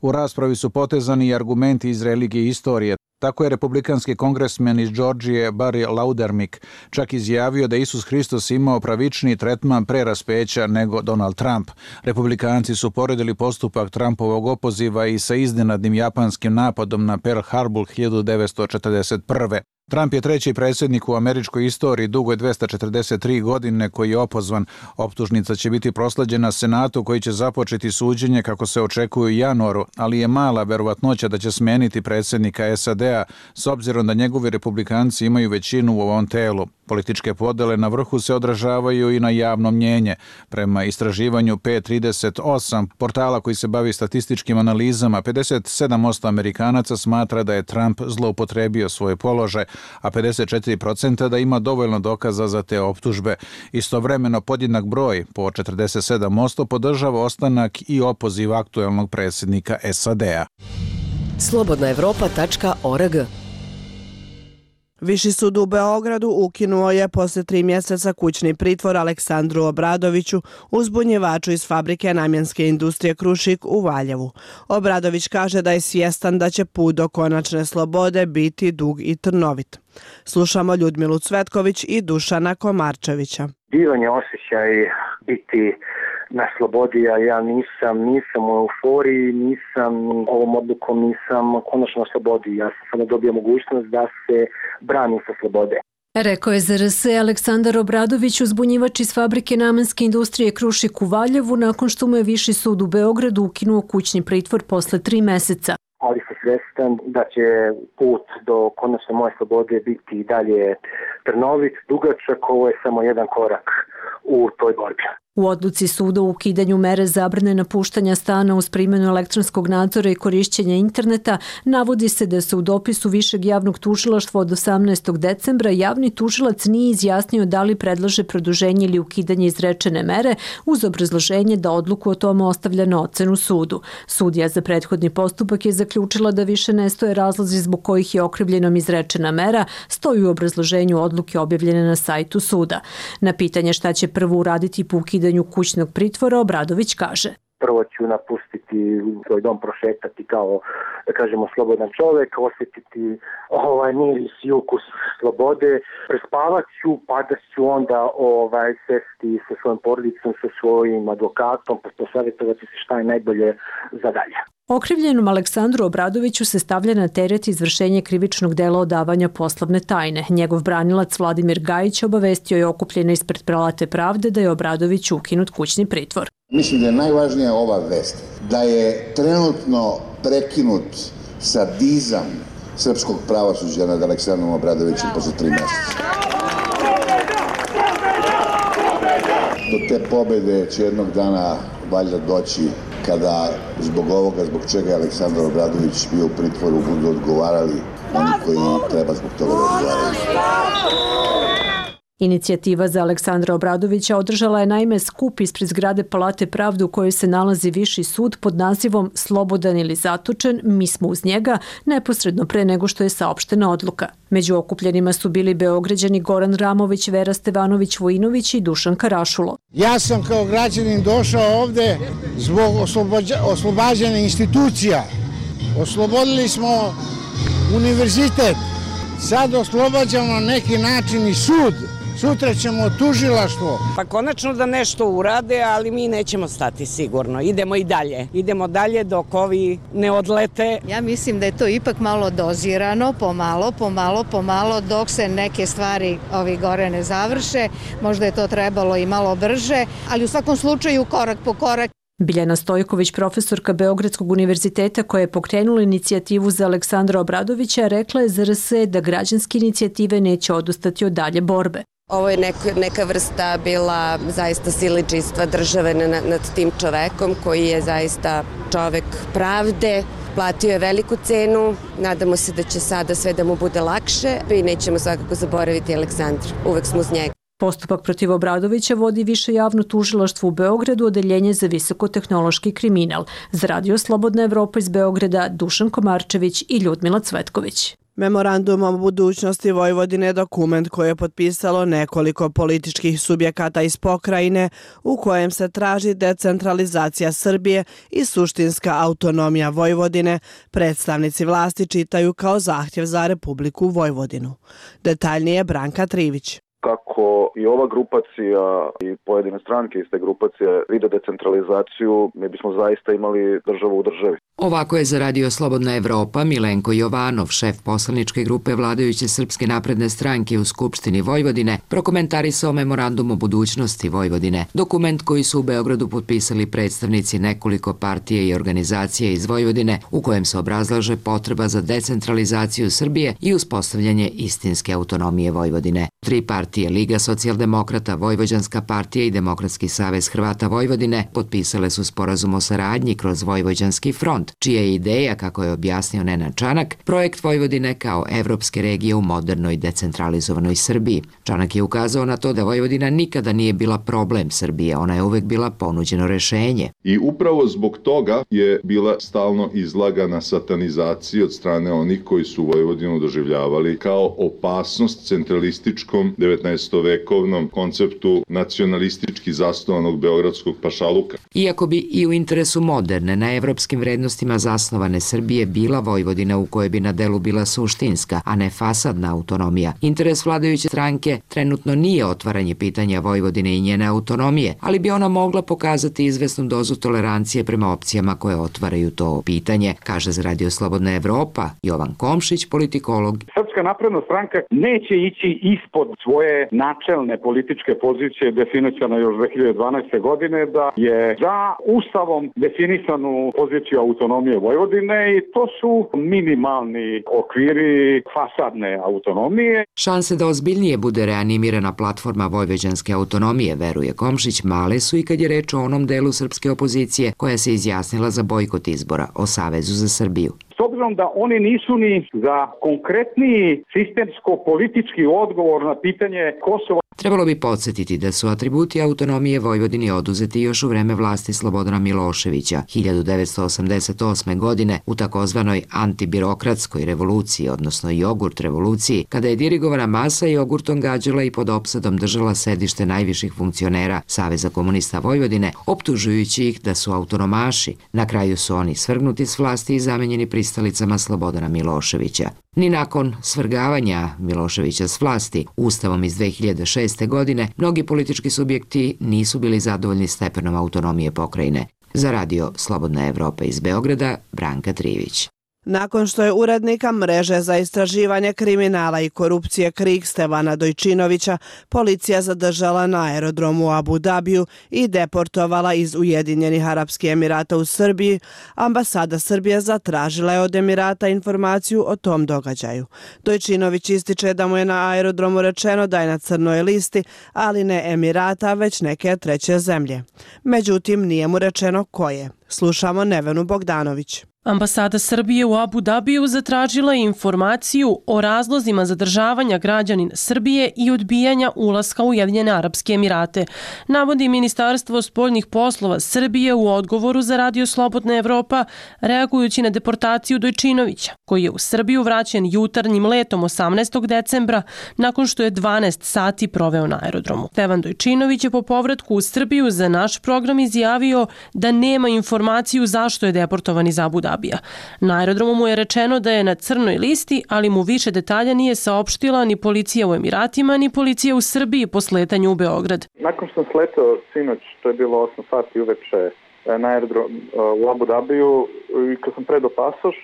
S16: U raspravi su potezani i argumenti iz religije i istorije. Tako je republikanski kongresmen iz Georgije Barry Laudermik čak izjavio da Isus Hristos imao pravičniji tretman pre raspeća nego Donald Trump. Republikanci su poredili postupak Trumpovog opoziva i sa iznenadnim japanskim napadom na Pearl Harbor hiljadu devetsto četrdeset prve. Trump je treći predsjednik u američkoj istoriji dugo je dvesta četrdeset tri godine koji je opozvan. Optužnica će biti prosleđena Senatu koji će započeti suđenje kako se očekuje u januaru, ali je mala verovatnoća da će smeniti predsjednika S A D-a s obzirom da njegovi republikanci imaju većinu u ovom telu. Političke podele na vrhu se odražavaju i na javno mnjenje. Prema istraživanju P trideset osam, portala koji se bavi statističkim analizama, pedeset sedam posto Amerikanaca smatra da je Trump zloupotrebio svoj položaj, a pedeset četiri posto da ima dovoljno dokaza za te optužbe. Istovremeno podjednak broj, po četrdeset sedam posto, podržava ostanak i opoziv aktuelnog predsjednika S A D-a.
S20: slobodna evropa tačka org.
S1: Viši sud u Beogradu ukinuo je posle tri mjeseca kućni pritvor Aleksandru Obradoviću, uzbunjivaču iz fabrike namjenske industrije Krušik u Valjevu. Obradović kaže da je svjestan da će put do konačne slobode biti dug i trnovit. Slušamo Ljudmilu Cvetković i Dušana Komarčevića.
S17: Divan je osjećaj biti na slobodi, a ja nisam, nisam u euforiji, nisam ovom odlukom, nisam konačno na slobodi. Ja sam samo dobio mogućnost da se branim sa slobode.
S25: Rekao je Z R S Aleksandar Obradović, uzbunjivač iz fabrike namenske industrije Krušik u Valjevu, nakon što mu je Viši sud u Beogradu ukinuo kućni pritvor posle tri meseca.
S17: Ali sam svjestan da će put do konačne moje slobode biti i dalje trnovit, dugačak, ovo je samo jedan korak u toj borbi.
S25: U odluci suda o ukidanju mere zabrane napuštanja stana uz primjenu elektronskog nadzora i korišćenja interneta navodi se da se u dopisu Višeg javnog tužilaštva od osamnaestog decembra javni tužilac nije izjasnio da li predlaže produženje ili ukidanje izrečene mere uz obrazloženje da odluku o tome ostavlja na ocenu sudu. Sudija za prethodni postupak je zaključila da više ne stoje razlozi zbog kojih je okrivljenom izrečena mera, stoji u obrazloženju odluke objavljene na sajtu suda. Na pitanje šta će prvo uraditi po ukidanju kućnog pritvora, Obradović kaže:
S17: Prvo ću napustiti svoj dom, prošetati kao, da kažemo, slobodan čovjek, osjetiti ovaj miris i ukus slobode, prespavat ću, pa da ću onda ovaj, sesti sa svojom porodicom, sa svojim advokatom, pa posavjetovati se šta je najbolje za dalje.
S25: Okrivljenom Aleksandru Obradoviću se stavlja na teret izvršenje krivičnog dela odavanja poslovne tajne. Njegov branilac Vladimir Gajić obavestio je okupljene ispred Palate pravde da je Obradoviću ukinut kućni pritvor.
S21: Mislim da je najvažnija ova vest, da je trenutno prekinut sadizam srpskog pravosuđa nad Aleksandrom Obradovićem posle tri mjeseca. Do te pobede će jednog dana valjda doći kada zbog ovoga, zbog čega je Aleksandar Obradović bio u pritvoru, budu odgovarali oni koji treba zbog toga da odgovaraju.
S25: Inicijativa za Aleksandra Obradovića održala je naime skup ispred zgrade Palate pravde u kojoj se nalazi Viši sud pod nazivom Slobodan ili zatočen, mi smo uz njega, neposredno pre nego što je saopštena odluka. Među okupljenima su bili Beograđani Goran Ramović, Vera Stevanović-Vojinović i Dušan Karašulo.
S2: Ja sam kao građanin došao ovde zbog oslobađanja institucija. Oslobodili smo univerzitet, sad oslobađamo na neki način i sud. Sutra ćemo tužilaštvo.
S3: Pa konačno da nešto urade, ali mi nećemo stati sigurno. Idemo i dalje. Idemo dalje dok ovi ne odlete.
S22: Ja mislim da je to ipak malo dozirano, pomalo, pomalo, pomalo, dok se neke stvari ovi gore ne završe. Možda je to trebalo i malo brže, ali u svakom slučaju korak po korak.
S25: Biljana Stojković, profesorka Beogradskog univerziteta koja je pokrenula inicijativu za Aleksandra Obradovića, rekla je za R S da građanske inicijative neće odustati od dalje borbe.
S23: Ovo je neka, neka vrsta bila zaista siledžijstva države nad, nad tim čovekom koji je zaista čovek pravde, platio je veliku cenu, nadamo se da će sada sve da mu bude lakše i nećemo svakako zaboraviti Aleksandra, uvek smo uz njega.
S25: Postupak protiv Obradovića vodi Više javno tužilaštvo u Beogradu, odeljenje za visokotehnološki kriminal. Za Radio Slobodna Evropa iz Beograda, Dušan Komarčević i Ljudmila Cvetković.
S1: Memorandum o budućnosti Vojvodine je dokument koji je potpisalo nekoliko političkih subjekata iz pokrajine u kojem se traži decentralizacija Srbije i suštinska autonomija Vojvodine, predstavnici vlasti čitaju kao zahtjev za Republiku Vojvodinu. Detaljnije Branka Trivić.
S18: Kako i ova grupacija i pojedine stranke iz te grupacije vide decentralizaciju, mi bismo zaista imali državu u državi.
S24: Ovako je za Radio Slobodna Evropa Milenko Jovanov, šef poslaničke grupe vladajuće Srpske napredne stranke u Skupštini Vojvodine, prokomentarisao memorandum o budućnosti Vojvodine. Dokument koji su u Beogradu potpisali predstavnici nekoliko partije i organizacije iz Vojvodine, u kojem se obrazlaže potreba za decentralizaciju Srbije i uspostavljanje istinske autonomije Vojvodine. Tri partije, Liga socijaldemokrata, Vojvođanska partija i Demokratski savez Hrvata Vojvodine, potpisale su sporazum o saradnji kroz Vojvođanski front, čija je ideja, kako je objasnio Nenad Čanak, projekt Vojvodine kao evropske regije u modernoj decentralizovanoj Srbiji. Čanak je ukazao na to da Vojvodina nikada nije bila problem Srbije, ona je uvek bila ponuđeno rešenje.
S26: I upravo zbog toga je bila stalno izlagana satanizaciji od strane onih koji su Vojvodinu doživljavali kao opasnost centralističkom devetnaestovekovnom konceptu nacionalistički zasnovanog beogradskog pašaluka.
S24: Iako bi i u interesu moderne, na evropskim vrednostima zasnovane Srbije bila Vojvodina u kojoj bi na delu bila suštinska, a ne fasadna autonomija, interes vladajuće stranke trenutno nije otvaranje pitanja Vojvodine i njene autonomije, ali bi ona mogla pokazati izvesnu dozu tolerancije prema opcijama koje otvaraju to pitanje, kaže za Radio Slobodna Evropa Jovan Komšić, politikolog.
S27: Srpska napredna stranka neće ići ispod svoje načelne političke pozicije definisana još dve hiljade dvanaeste. godine da je za ustavom definisanu poziciju autonomije Vojvodine i to su minimalni okviri fasadne autonomije.
S24: Šanse da ozbiljnije bude reanimirana platforma vojvođanske autonomije, veruje Komšić, male su i kad je reč o onom delu srpske opozicije koja se izjasnila za bojkot izbora o Savezu za Srbiju.
S27: S obzirom da oni nisu ni za konkretniji sistemsko-politički odgovor na pitanje Kosova.
S24: Trebalo bi podsjetiti da su atributi autonomije Vojvodini oduzeti još u vreme vlasti Slobodana Miloševića hiljadu devetsto osamdeset osme. godine u takozvanoj antibirokratskoj revoluciji, odnosno jogurt revoluciji, kada je dirigovana masa jogurtom gađala i pod opsadom držala sedište najviših funkcionera Saveza komunista Vojvodine, optužujući ih da su autonomaši. Na kraju su oni svrgnuti s vlasti i zamenjeni pristalicama Slobodana Miloševića. Ni nakon svrgavanja Miloševića s vlasti, Ustavom iz dve hiljade šeste. godine, mnogi politički subjekti nisu bili zadovoljni stepenom autonomije pokrajine. Za Radio Slobodna Evropa iz Beograda, Branka Trivić.
S1: Nakon što je urednika mreže za istraživanje kriminala i korupcije KRIK Stevana Dojčinovića policija zadržala na aerodromu u Abu Dabiju i deportovala iz Ujedinjenih Arapskih Emirata u Srbiji, ambasada Srbije zatražila je od Emirata informaciju o tom događaju. Dojčinović ističe da mu je na aerodromu rečeno da je na crnoj listi, ali ne Emirata, već neke treće zemlje. Međutim, nije mu rečeno koje. Slušamo Nevenu Bogdanović.
S4: Ambasada Srbije u Abu Dabiju zatražila je informaciju o razlozima zadržavanja građanina Srbije i odbijanja ulaska u Ujedinjene Arapske Emirate, navodi Ministarstvo spoljnih poslova Srbije u odgovoru za Radio Slobodna Evropa, reagujući na deportaciju Dojčinovića, koji je u Srbiju vraćen jutarnjim letom osamnaestog decembra nakon što je dvanaest sati proveo na aerodromu. Stevan Dojčinović je po povratku u Srbiju za naš program izjavio da nema informaciju zašto je deportovan iz Abu Dabija. Na aerodromu mu je rečeno da je na crnoj listi, ali mu više detalja nije saopštila ni policija u Emiratima, ni policija u Srbiji po sletanju u Beograd.
S18: Nakon što sam sletao sinoć, to je bilo osam sati uveče na aerodrom u Abu Dabiju, i kad sam predao pasoš,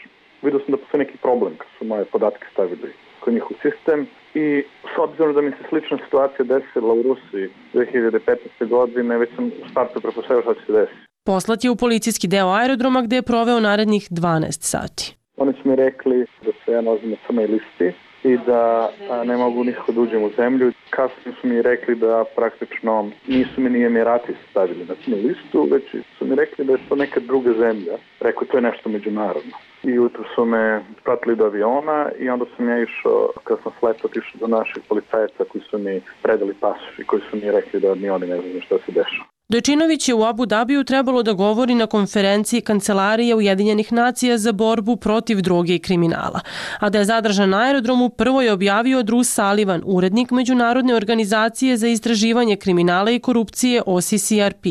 S18: vidio sam da postoji neki problem kad su moje podatke stavili kod njihov sistem i s obzirom da mi se slična situacija desila u Rusiji dve hiljade petnaeste. godine, već sam u startu pretpostavio šta će se desiti.
S4: Poslat je u policijski deo aerodroma gde je proveo narednih dvanaest sati.
S18: Oni su mi rekli da se ja nalazim na crnoj listi i da a, ne mogu nikako da uđem u zemlju. Kasnije su mi rekli da praktično nisu mi ni Emirati stavili na crnu listu, već su mi rekli da je to neka druga zemlja. Rekao, to je nešto međunarodno. I jutro su me pratili do aviona i onda sam ja išao, kad sam sletao, išao do naših policajaca koji su mi predali pasoš i koji su mi rekli da ni oni ne znaju šta se dešava.
S4: Dojčinović je u Abu Dabiju trebalo da govori na konferenciji Kancelarije Ujedinjenih nacija za borbu protiv droge i kriminala. A da je zadržan na aerodromu, prvo je objavio Drew Sullivan, urednik Međunarodne organizacije za istraživanje kriminala i korupcije O C C R P.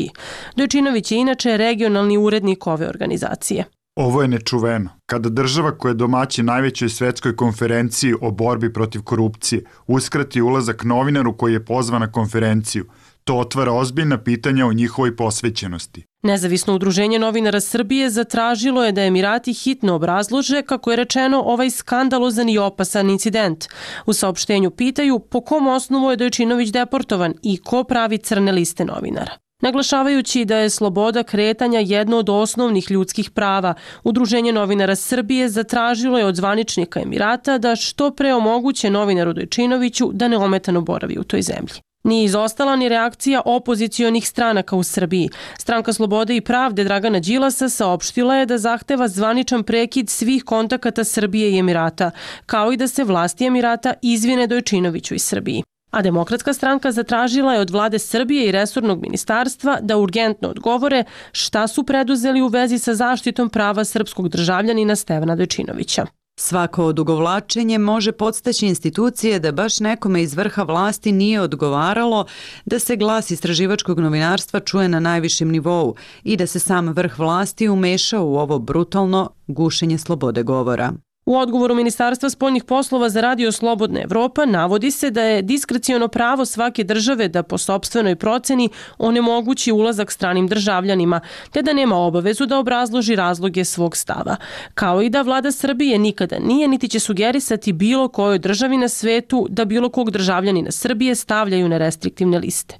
S4: Dojčinović je inače regionalni urednik ove organizacije.
S8: Ovo je nečuveno. Kada država koja je domaćin najvećoj svetskoj konferenciji o borbi protiv korupcije uskrati ulazak novinaru koji je pozvan na konferenciju, to otvara ozbiljna pitanja o njihovoj posvećenosti.
S4: Nezavisno udruženje novinara Srbije zatražilo je da Emirati hitno obrazlože, kako je rečeno, ovaj skandalozan i opasan incident. U saopštenju pitaju po kom osnovu je Dojčinović deportovan i ko pravi crne liste novinara. Naglašavajući da je sloboda kretanja jedno od osnovnih ljudskih prava, Udruženje novinara Srbije zatražilo je od zvaničnika Emirata da što pre omoguće novinaru Dojčinoviću da neometano boravi u toj zemlji. Nije izostala ni reakcija opozicionih stranaka u Srbiji. Stranka Slobode i pravde Dragana Đilasa saopštila je da zahteva zvaničan prekid svih kontakata Srbije i Emirata, kao i da se vlasti Emirata izvine Dojčinoviću iz Srbiji. A Demokratska stranka zatražila je od vlade Srbije i resornog ministarstva da urgentno odgovore šta su preduzeli u vezi sa zaštitom prava srpskog državljanina Stevana Dojčinovića.
S9: Svako odugovlačenje može podstaći institucije da baš nekome iz vrha vlasti nije odgovaralo da se glas istraživačkog novinarstva čuje na najvišem nivou i da se sam vrh vlasti umešao u ovo brutalno gušenje slobode govora.
S4: U odgovoru Ministarstva spoljnih poslova za Radio Slobodna Evropa navodi se da je diskreciono pravo svake države da po sopstvenoj proceni onemogući ulazak stranim državljanima, te da nema obavezu da obrazloži razloge svog stava, kao i da vlada Srbije nikada nije niti će sugerisati bilo kojoj državi na svetu da bilo kog državljanina Srbije stavljaju na restriktivne liste.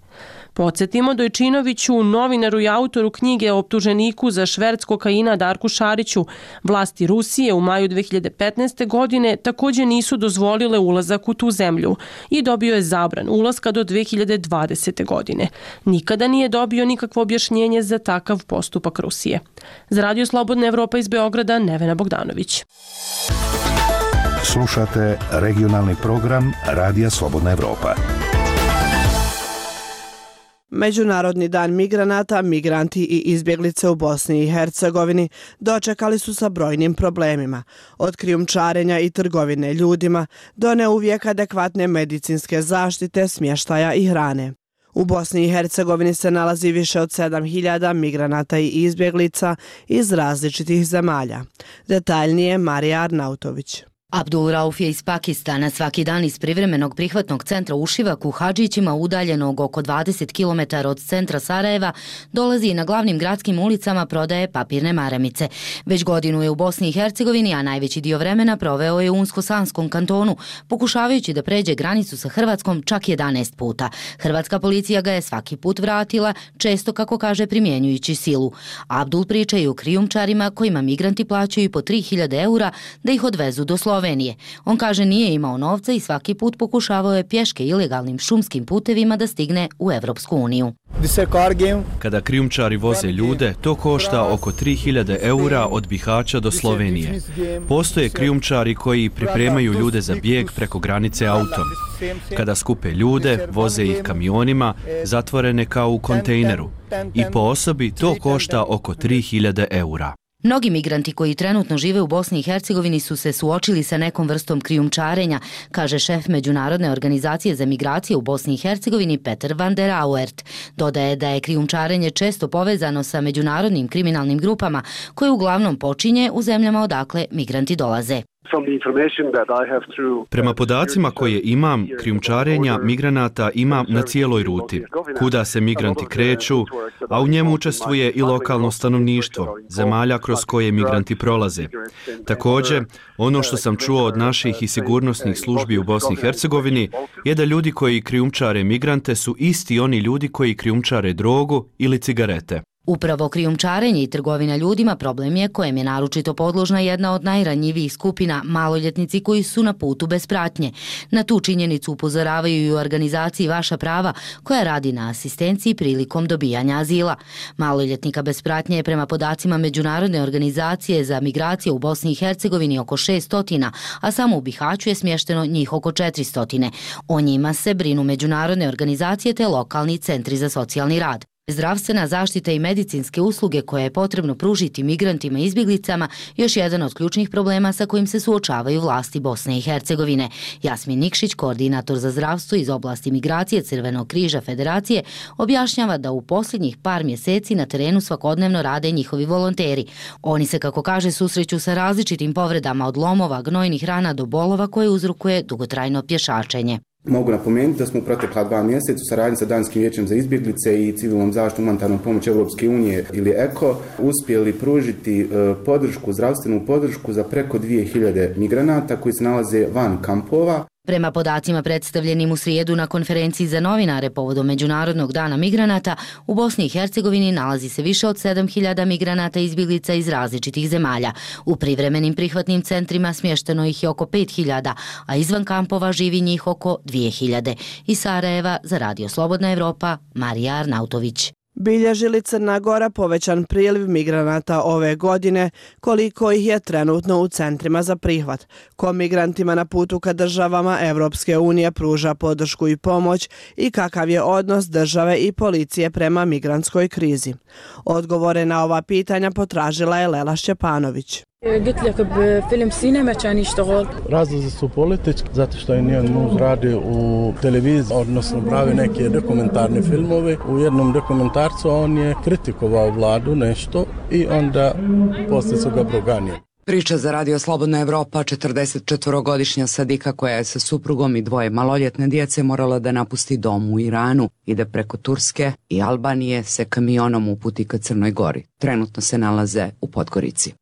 S4: Podsjetimo, Dojčinoviću, novinaru i autoru knjige o optuženiku za šverc kokaina Darku Šariću, vlasti Rusije u maju dve hiljade petnaeste. godine također nisu dozvolile ulazak u tu zemlju i dobio je zabran ulaska do dve hiljade dvadesete. godine. Nikada nije dobio nikakvo objašnjenje za takav postupak Rusije. Za Radio Slobodna Evropa iz Beograda, Nevena Bogdanović.
S7: Slušate regionalni program Radija Slobodna Evropa.
S1: Međunarodni dan migranata, migranti i izbjeglice u Bosni i Hercegovini dočekali su sa brojnim problemima, od krijumčarenja i trgovine ljudima do neuvijek adekvatne medicinske zaštite, smještaja i hrane. U Bosni i Hercegovini se nalazi više od sedam hiljada migranata i izbjeglica iz različitih zemalja. Detaljnije Marija Arnautović.
S10: Abdul Rauf je iz Pakistana. Svaki dan iz privremenog prihvatnog centra u Šivaku, Hadžićima, udaljenog oko dvadeset kilometara od centra Sarajeva, dolazi i na glavnim gradskim ulicama prodaje papirne maramice. Već godinu je u Bosni i Hercegovini, a najveći dio vremena proveo je u Unsko-Sanskom kantonu, pokušavajući da pređe granicu sa Hrvatskom čak jedanaest puta. Hrvatska policija ga je svaki put vratila, često, kako kaže, primjenjujući silu. Abdul priča i o krijumčarima kojima migranti plaćaju po tri hiljade eura da ih odvezu do Slovenije. Slovenije. On kaže nije imao novca i svaki put pokušavao je pješke ilegalnim šumskim putevima da stigne u Evropsku uniju.
S5: Kada krijumčari voze ljude, to košta oko tri hiljade eura od Bihaća do Slovenije. Postoje krijumčari koji pripremaju ljude za bijeg preko granice autom. Kada skupe ljude, voze ih kamionima, zatvorene kao u kontejneru. I po osobi to košta oko tri hiljade eura.
S10: Mnogi migranti koji trenutno žive u Bosni i Hercegovini su se suočili sa nekom vrstom krijumčarenja, kaže šef Međunarodne organizacije za migracije u Bosni i Hercegovini Peter van der Auert. Dodaje da je krijumčarenje često povezano sa međunarodnim kriminalnim grupama koje uglavnom počinje u zemljama odakle migranti dolaze.
S5: Prema podacima koje imam, krijumčarenja migranata ima na cijeloj ruti, kuda se migranti kreću, a u njemu učestvuje i lokalno stanovništvo, zemalja kroz koje migranti prolaze. Također, ono što sam čuo od naših i sigurnosnih službi u Bosni i Hercegovini je da ljudi koji krijumčare migrante su isti oni ljudi koji krijumčare drogu ili cigarete.
S10: Upravo krijumčarenje i trgovina ljudima problem je kojem je naročito podložna jedna od najranjivijih skupina, maloljetnici koji su na putu bez pratnje. Na tu činjenicu upozoravaju i u organizaciji Vaša prava, koja radi na asistenciji prilikom dobijanja azila. Maloljetnika bez pratnje je prema podacima Međunarodne organizacije za migracije u Bosni i Hercegovini oko šesto, a samo u Bihaću je smješteno njih oko četiristo. O njima se brinu međunarodne organizacije te lokalni centri za socijalni rad. Zdravstvena zaštita i medicinske usluge koje je potrebno pružiti migrantima i izbjeglicama još jedan od ključnih problema sa kojim se suočavaju vlasti Bosne i Hercegovine. Jasmin Nikšić, koordinator za zdravstvo iz oblasti migracije Crvenog križa Federacije, objašnjava da u posljednjih par mjeseci na terenu svakodnevno rade njihovi volonteri. Oni se, kako kaže, susreću sa različitim povredama od lomova, gnojnih rana do bolova koje uzrokuje dugotrajno pješačenje.
S11: Mogu napomenuti da smo u protekla dva mjeseca u saradnji sa Danskim vijećem za izbjeglice i civilnom zaštitom humanitarnom pomoć Europske unije ili E K O uspjeli pružiti podršku, zdravstvenu podršku za preko dvije hiljade migranata koji se nalaze van kampova.
S10: Prema podacima predstavljenim u srijedu na konferenciji za novinare povodom Međunarodnog dana migranata, u Bosni i Hercegovini nalazi se više od sedam hiljada migranata i izbjeglica iz različitih zemalja. U privremenim prihvatnim centrima smješteno ih je oko pet hiljada, a izvan kampova živi njih oko dvije hiljade. Iz Sarajeva za Radio Slobodna Evropa, Marija Arnautović.
S1: Bilježi li Crna Gora povećan priliv migranata ove godine, koliko ih je trenutno u centrima za prihvat? Ko migrantima na putu ka državama Evropske unije pruža podršku i pomoć i kakav je odnos države i policije prema migrantskoj krizi? Odgovore na ova pitanja potražila je Lela Šćepanović.
S12: Razlozi su politički, zato što je njen muž radi u televiziji, odnosno pravi neke dokumentarne filmove. U jednom dokumentarcu on je kritikovao vladu nešto i onda poslije su ga proganjali.
S24: Priča za Radio Slobodna Evropa, četrdesetčetvorogodišnja Sadika koja je sa suprugom i dvoje maloljetne djece morala da napusti dom u Iranu i da preko Turske i Albanije se kamionom uputi ka Crnoj Gori. Trenutno se nalaze u Podgorici.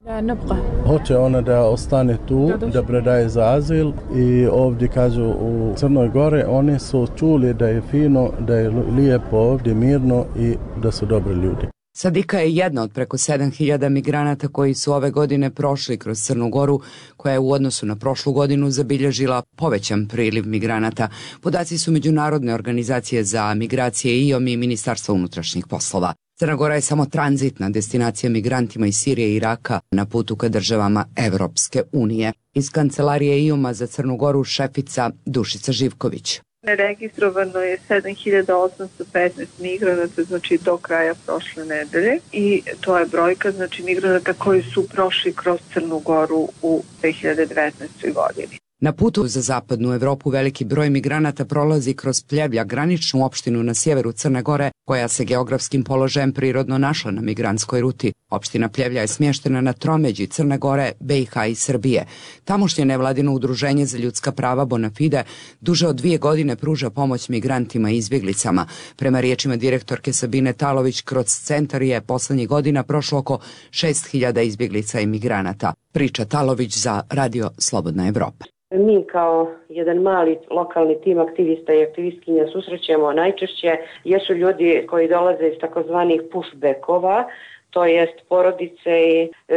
S12: Hoće ona da ostane tu, da predaje za azil i ovdje kažu u Crnoj Gore oni su čuli da je fino, da je lijepo ovdje, mirno i da su dobri ljudi.
S24: Sadika je jedna od preko sedam hiljada migranata koji su ove godine prošli kroz Crnu Goru, koja je u odnosu na prošlu godinu zabilježila povećan priliv migranata. Podaci su Međunarodne organizacije za migracije I O M i Ministarstva unutrašnjih poslova. Crna Gora je samo tranzitna destinacija migrantima iz Sirije i Iraka na putu ka državama Evropske unije. Iz kancelarije I O M-a za Crnu Goru šefica Dušica Živković.
S13: Registrovano je sedam hiljada osamsto petnaest migranata, znači do kraja prošle nedelje, i to je brojka, znači migranata koji su prošli kroz Crnu Goru u dve hiljade devetnaestoj. godini.
S24: Na putu za zapadnu Evropu veliki broj migranata prolazi kroz Pljevlja, graničnu opštinu na sjeveru Crne Gore, koja se geografskim položajem prirodno našla na migrantskoj ruti. Opština Pljevlja je smještena na tromeđi Crne Gore, B i H i Srbije. Tamošnje nevladino udruženje za ljudska prava Bonafide duže od dvije godine pruža pomoć migrantima i izbjeglicama. Prema riječima direktorke Sabine Talović, kroz centar je poslednjih godina prošlo oko šest hiljada izbjeglica i migranata. Priča Talović za Radio Slobodna Evropa.
S14: Mi kao jedan mali lokalni tim aktivista i aktivistkinja susrećemo najčešće jesu ljudi koji dolaze iz takozvanih pushbackova, to jest porodice i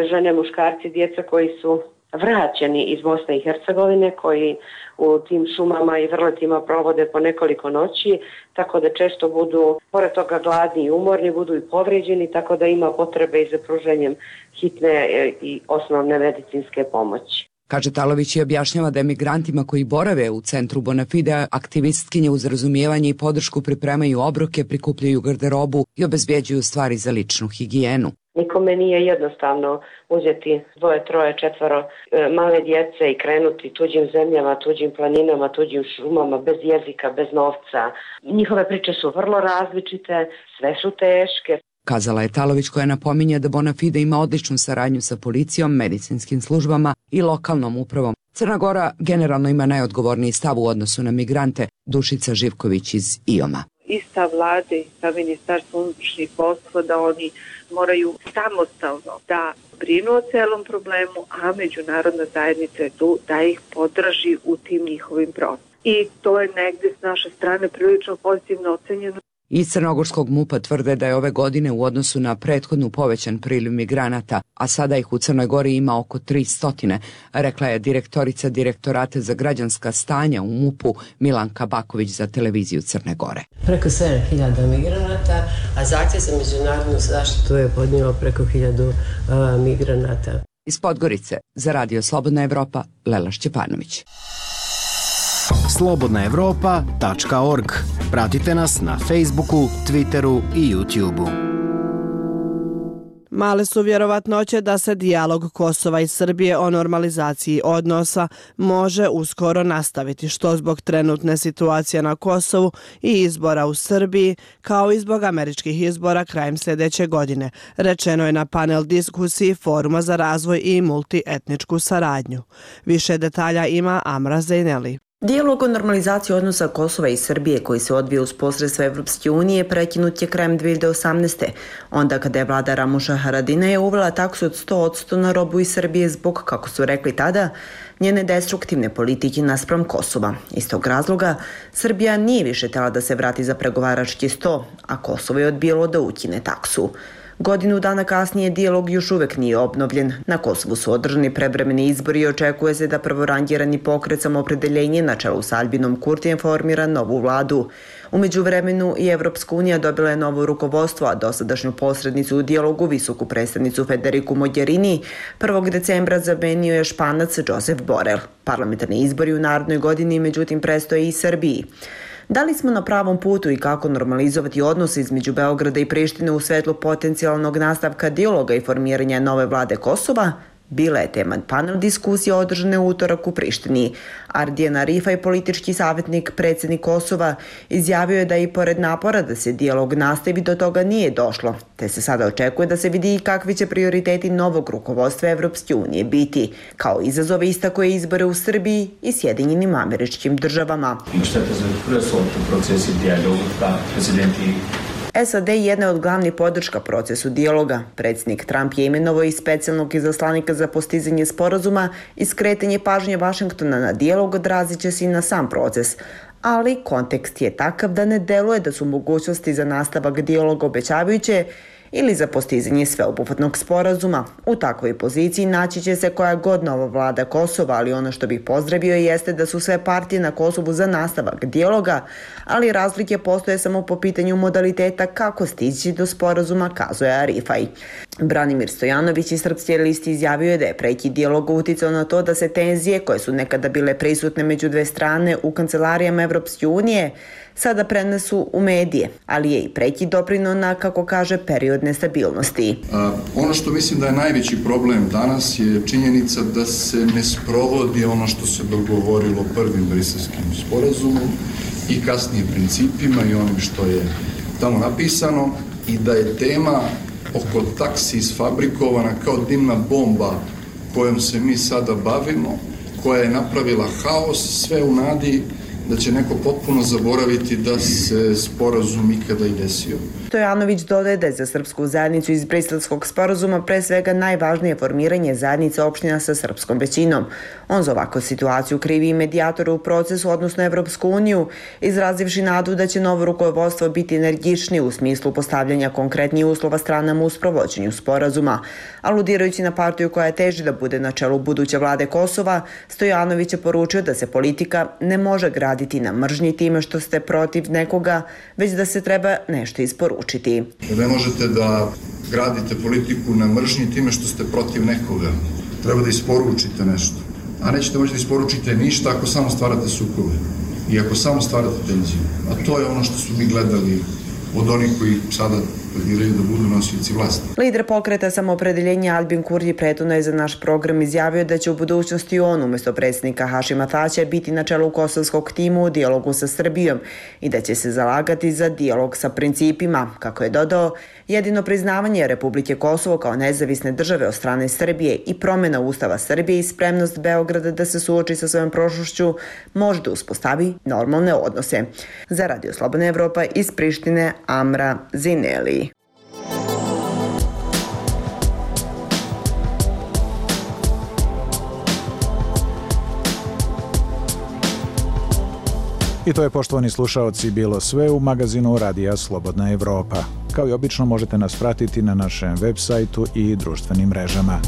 S14: žene, muškarci, djeca koji su vraćeni iz Bosne i Hercegovine koji u tim šumama i vrletima provode po nekoliko noći, tako da često budu, pored toga gladni i umorni, budu i povređeni, tako da ima potrebe i za pruženjem hitne i osnovne medicinske pomoći.
S24: Kaže Talović i objašnjava da emigrantima koji borave u centru Bonafide aktivistkinje uz razumijevanje i podršku pripremaju obroke, prikupljaju garderobu i obezbjeđuju stvari za ličnu higijenu.
S14: Nikome nije jednostavno uzeti dvoje, troje, četvoro e, male djece i krenuti tuđim zemljama, tuđim planinama, tuđim šumama, bez jezika, bez novca. Njihove priče su vrlo različite, sve su teške.
S24: Kazala je Talović, koja napominje da Bonafide ima odličnu saradnju sa policijom, medicinskim službama i lokalnom upravom. Crna Gora generalno ima najodgovorniji stav u odnosu na migrante. Dušica Živković iz I O M-a.
S13: I stav vlade i stav ministarstva unutrašnjih poslova da oni moraju samostalno da brinu o celom problemu, a međunarodna zajednica je tu da ih podrži u tim njihovim procesima. I to je negde s naše strane prilično pozitivno ocenjeno.
S24: Iz crnogorskog MUP-a tvrde da je ove godine u odnosu na prethodnu povećan priliv migranata, a sada ih u Crnoj Gori ima oko tristo, rekla je direktorica Direktorata za građanska stanja u MUP-u Milanka Baković za televiziju Crne Gore.
S6: Preko sedam hiljada migranata, a zahtjev za međunarodnu zaštitu je podnio preko hiljadu uh, migranata.
S24: Iz Podgorice za Radio Slobodna Evropa, Lela Šćepanović.
S15: slobodna evropa tačka org. Pratite nas na Facebooku, Twitteru i YouTubeu.
S1: Male su vjerovatnoće da se dijalog Kosova i Srbije o normalizaciji odnosa može uskoro nastaviti, što zbog trenutne situacije na Kosovu i izbora u Srbiji, kao i zbog američkih izbora krajem sljedeće godine, rečeno je na panel diskusiji Foruma za razvoj i multietničku saradnju. Više detalja ima Amra Zejneli.
S16: Dijalog o normalizaciji odnosa Kosova i Srbije koji se odvija uz posredstvo Evropske unije prekinut je krajem dvije hiljade osamnaeste. Onda kada je vlada Ramuša Haradinaja uvela taksu od sto posto na robu iz Srbije zbog, kako su rekli tada, njene destruktivne politike naspram Kosova. Iz tog razloga Srbija nije više htjela da se vrati za pregovarački sto, a Kosovo je odbijalo da ukine taksu. Godinu dana kasnije dijalog još uvek nije obnovljen. Na Kosovu su održani prevremeni izbori i očekuje se da prvorangirani pokret Samoopredeljenje na čelu s Albinom Kurtijem formira novu vladu. U međuvremenu i Evropska unija dobila je novo rukovodstvo, a dosadašnju posrednicu u dijalogu, visoku predstavnicu Federiku Mogherini, prvog decembra zamenio je Španac Josep Borrell. Parlamentarni izbori u narednoj godini međutim prestoje i Srbiji. Da li smo na pravom putu i kako normalizovati odnose između Beograda i Prištine u svetlu potencijalnog nastavka dijaloga i formiranja nove vlade Kosova? Bila je tema panel diskusije održane u utorak u Prištini. Ardijan Arifaj, politički savjetnik, predsjednik Kosova, izjavio je da i pored napora da se dijalog nastavi do toga nije došlo, te se sada očekuje da se vidi i kakvi će prioriteti novog rukovodstva Evropske unije biti. Kao izazove istako je izbore u Srbiji i Sjedinjenim Američkim Državama. S A D je jedna od glavnih podrška procesu dijaloga. Predsjednik Trump je imenovao i specijalnog izaslanika za postizanje sporazuma i skretanje pažnje Vašingtona na dijalog odrazit će se i na sam proces. Ali kontekst je takav da ne deluje da su mogućnosti za nastavak dijaloga obećavajuće ili za postizanje sveobuhvatnog sporazuma. U takvoj poziciji naći će se koja god nova vlada Kosova, ali ono što bih pozdravio jeste da su sve partije na Kosovu za nastavak dijaloga, ali razlike postoje samo po pitanju modaliteta kako stići do sporazuma, kazuje Arifaj. Branimir Stojanović iz Srpske liste izjavio je da je prekid dijaloga uticao na to da se tenzije koje su nekada bile prisutne među dve strane u kancelarijama Evropske unije sada prenesu u medije, ali je i prekid doprineo na, kako kaže, period nestabilnosti.
S17: A, ono što mislim da je najveći problem danas je činjenica da se ne sprovodi ono što se dogovorilo prvim briselskim sporazumom i kasnije principima i onim što je tamo napisano i da je tema oko taksi isfabrikovana kao dimna bomba kojom se mi sada bavimo, koja je napravila haos, sve u nadi da će neko potpuno zaboraviti da se sporazum ikada i desio.
S16: Stojanović dodaje da je za srpsku zajednicu iz Briselskog sporazuma pre svega najvažnije formiranje zajednice opština sa srpskom većinom. On za ovakvu situaciju krivi i medijatore u procesu, odnosno Evropsku uniju, izrazivši nadu da će novo rukovodstvo biti energičnije u smislu postavljanja konkretnijih uslova stranama u sprovođenju sporazuma. Aludirajući na partiju koja teži da bude na čelu buduće vlade Kosova, Stojanović je poručio da se politika ne može graditi na mržnji time što ste protiv nekoga, već da se treba nešto isporučiti.
S17: Ne možete da gradite politiku na mržnji time što ste protiv nekoga. Treba da isporučite nešto. A nećete moći da isporučite ništa ako samo stvarate sukobe i ako samo stvarate tenziju. A to je ono što su mi gledali od onih koji sada planiraju da budu nosioci vlasti.
S16: Lider pokreta Samoopredeljenja Albin Kurti prethodno je za naš program izjavio da će u budućnosti on umjesto predsjednika Hašima Tačija biti na čelu kosovskog tima u dijalogu sa Srbijom i da će se zalagati za dijalog sa principima. Kako je dodao, jedino priznavanje Republike Kosovo kao nezavisne države od strane Srbije i promjena Ustava Srbije i spremnost Beograda da se suoči sa svojom prošlošću može da uspostavi normalne odnose. Za Radio Slobodna Evropa iz Prištine, Amra Zineli.
S2: I to je, poštovani slušaoci, bilo sve u magazinu Radija Slobodna Evropa. Kao i obično možete nas pratiti na našem web sajtu i društvenim mrežama.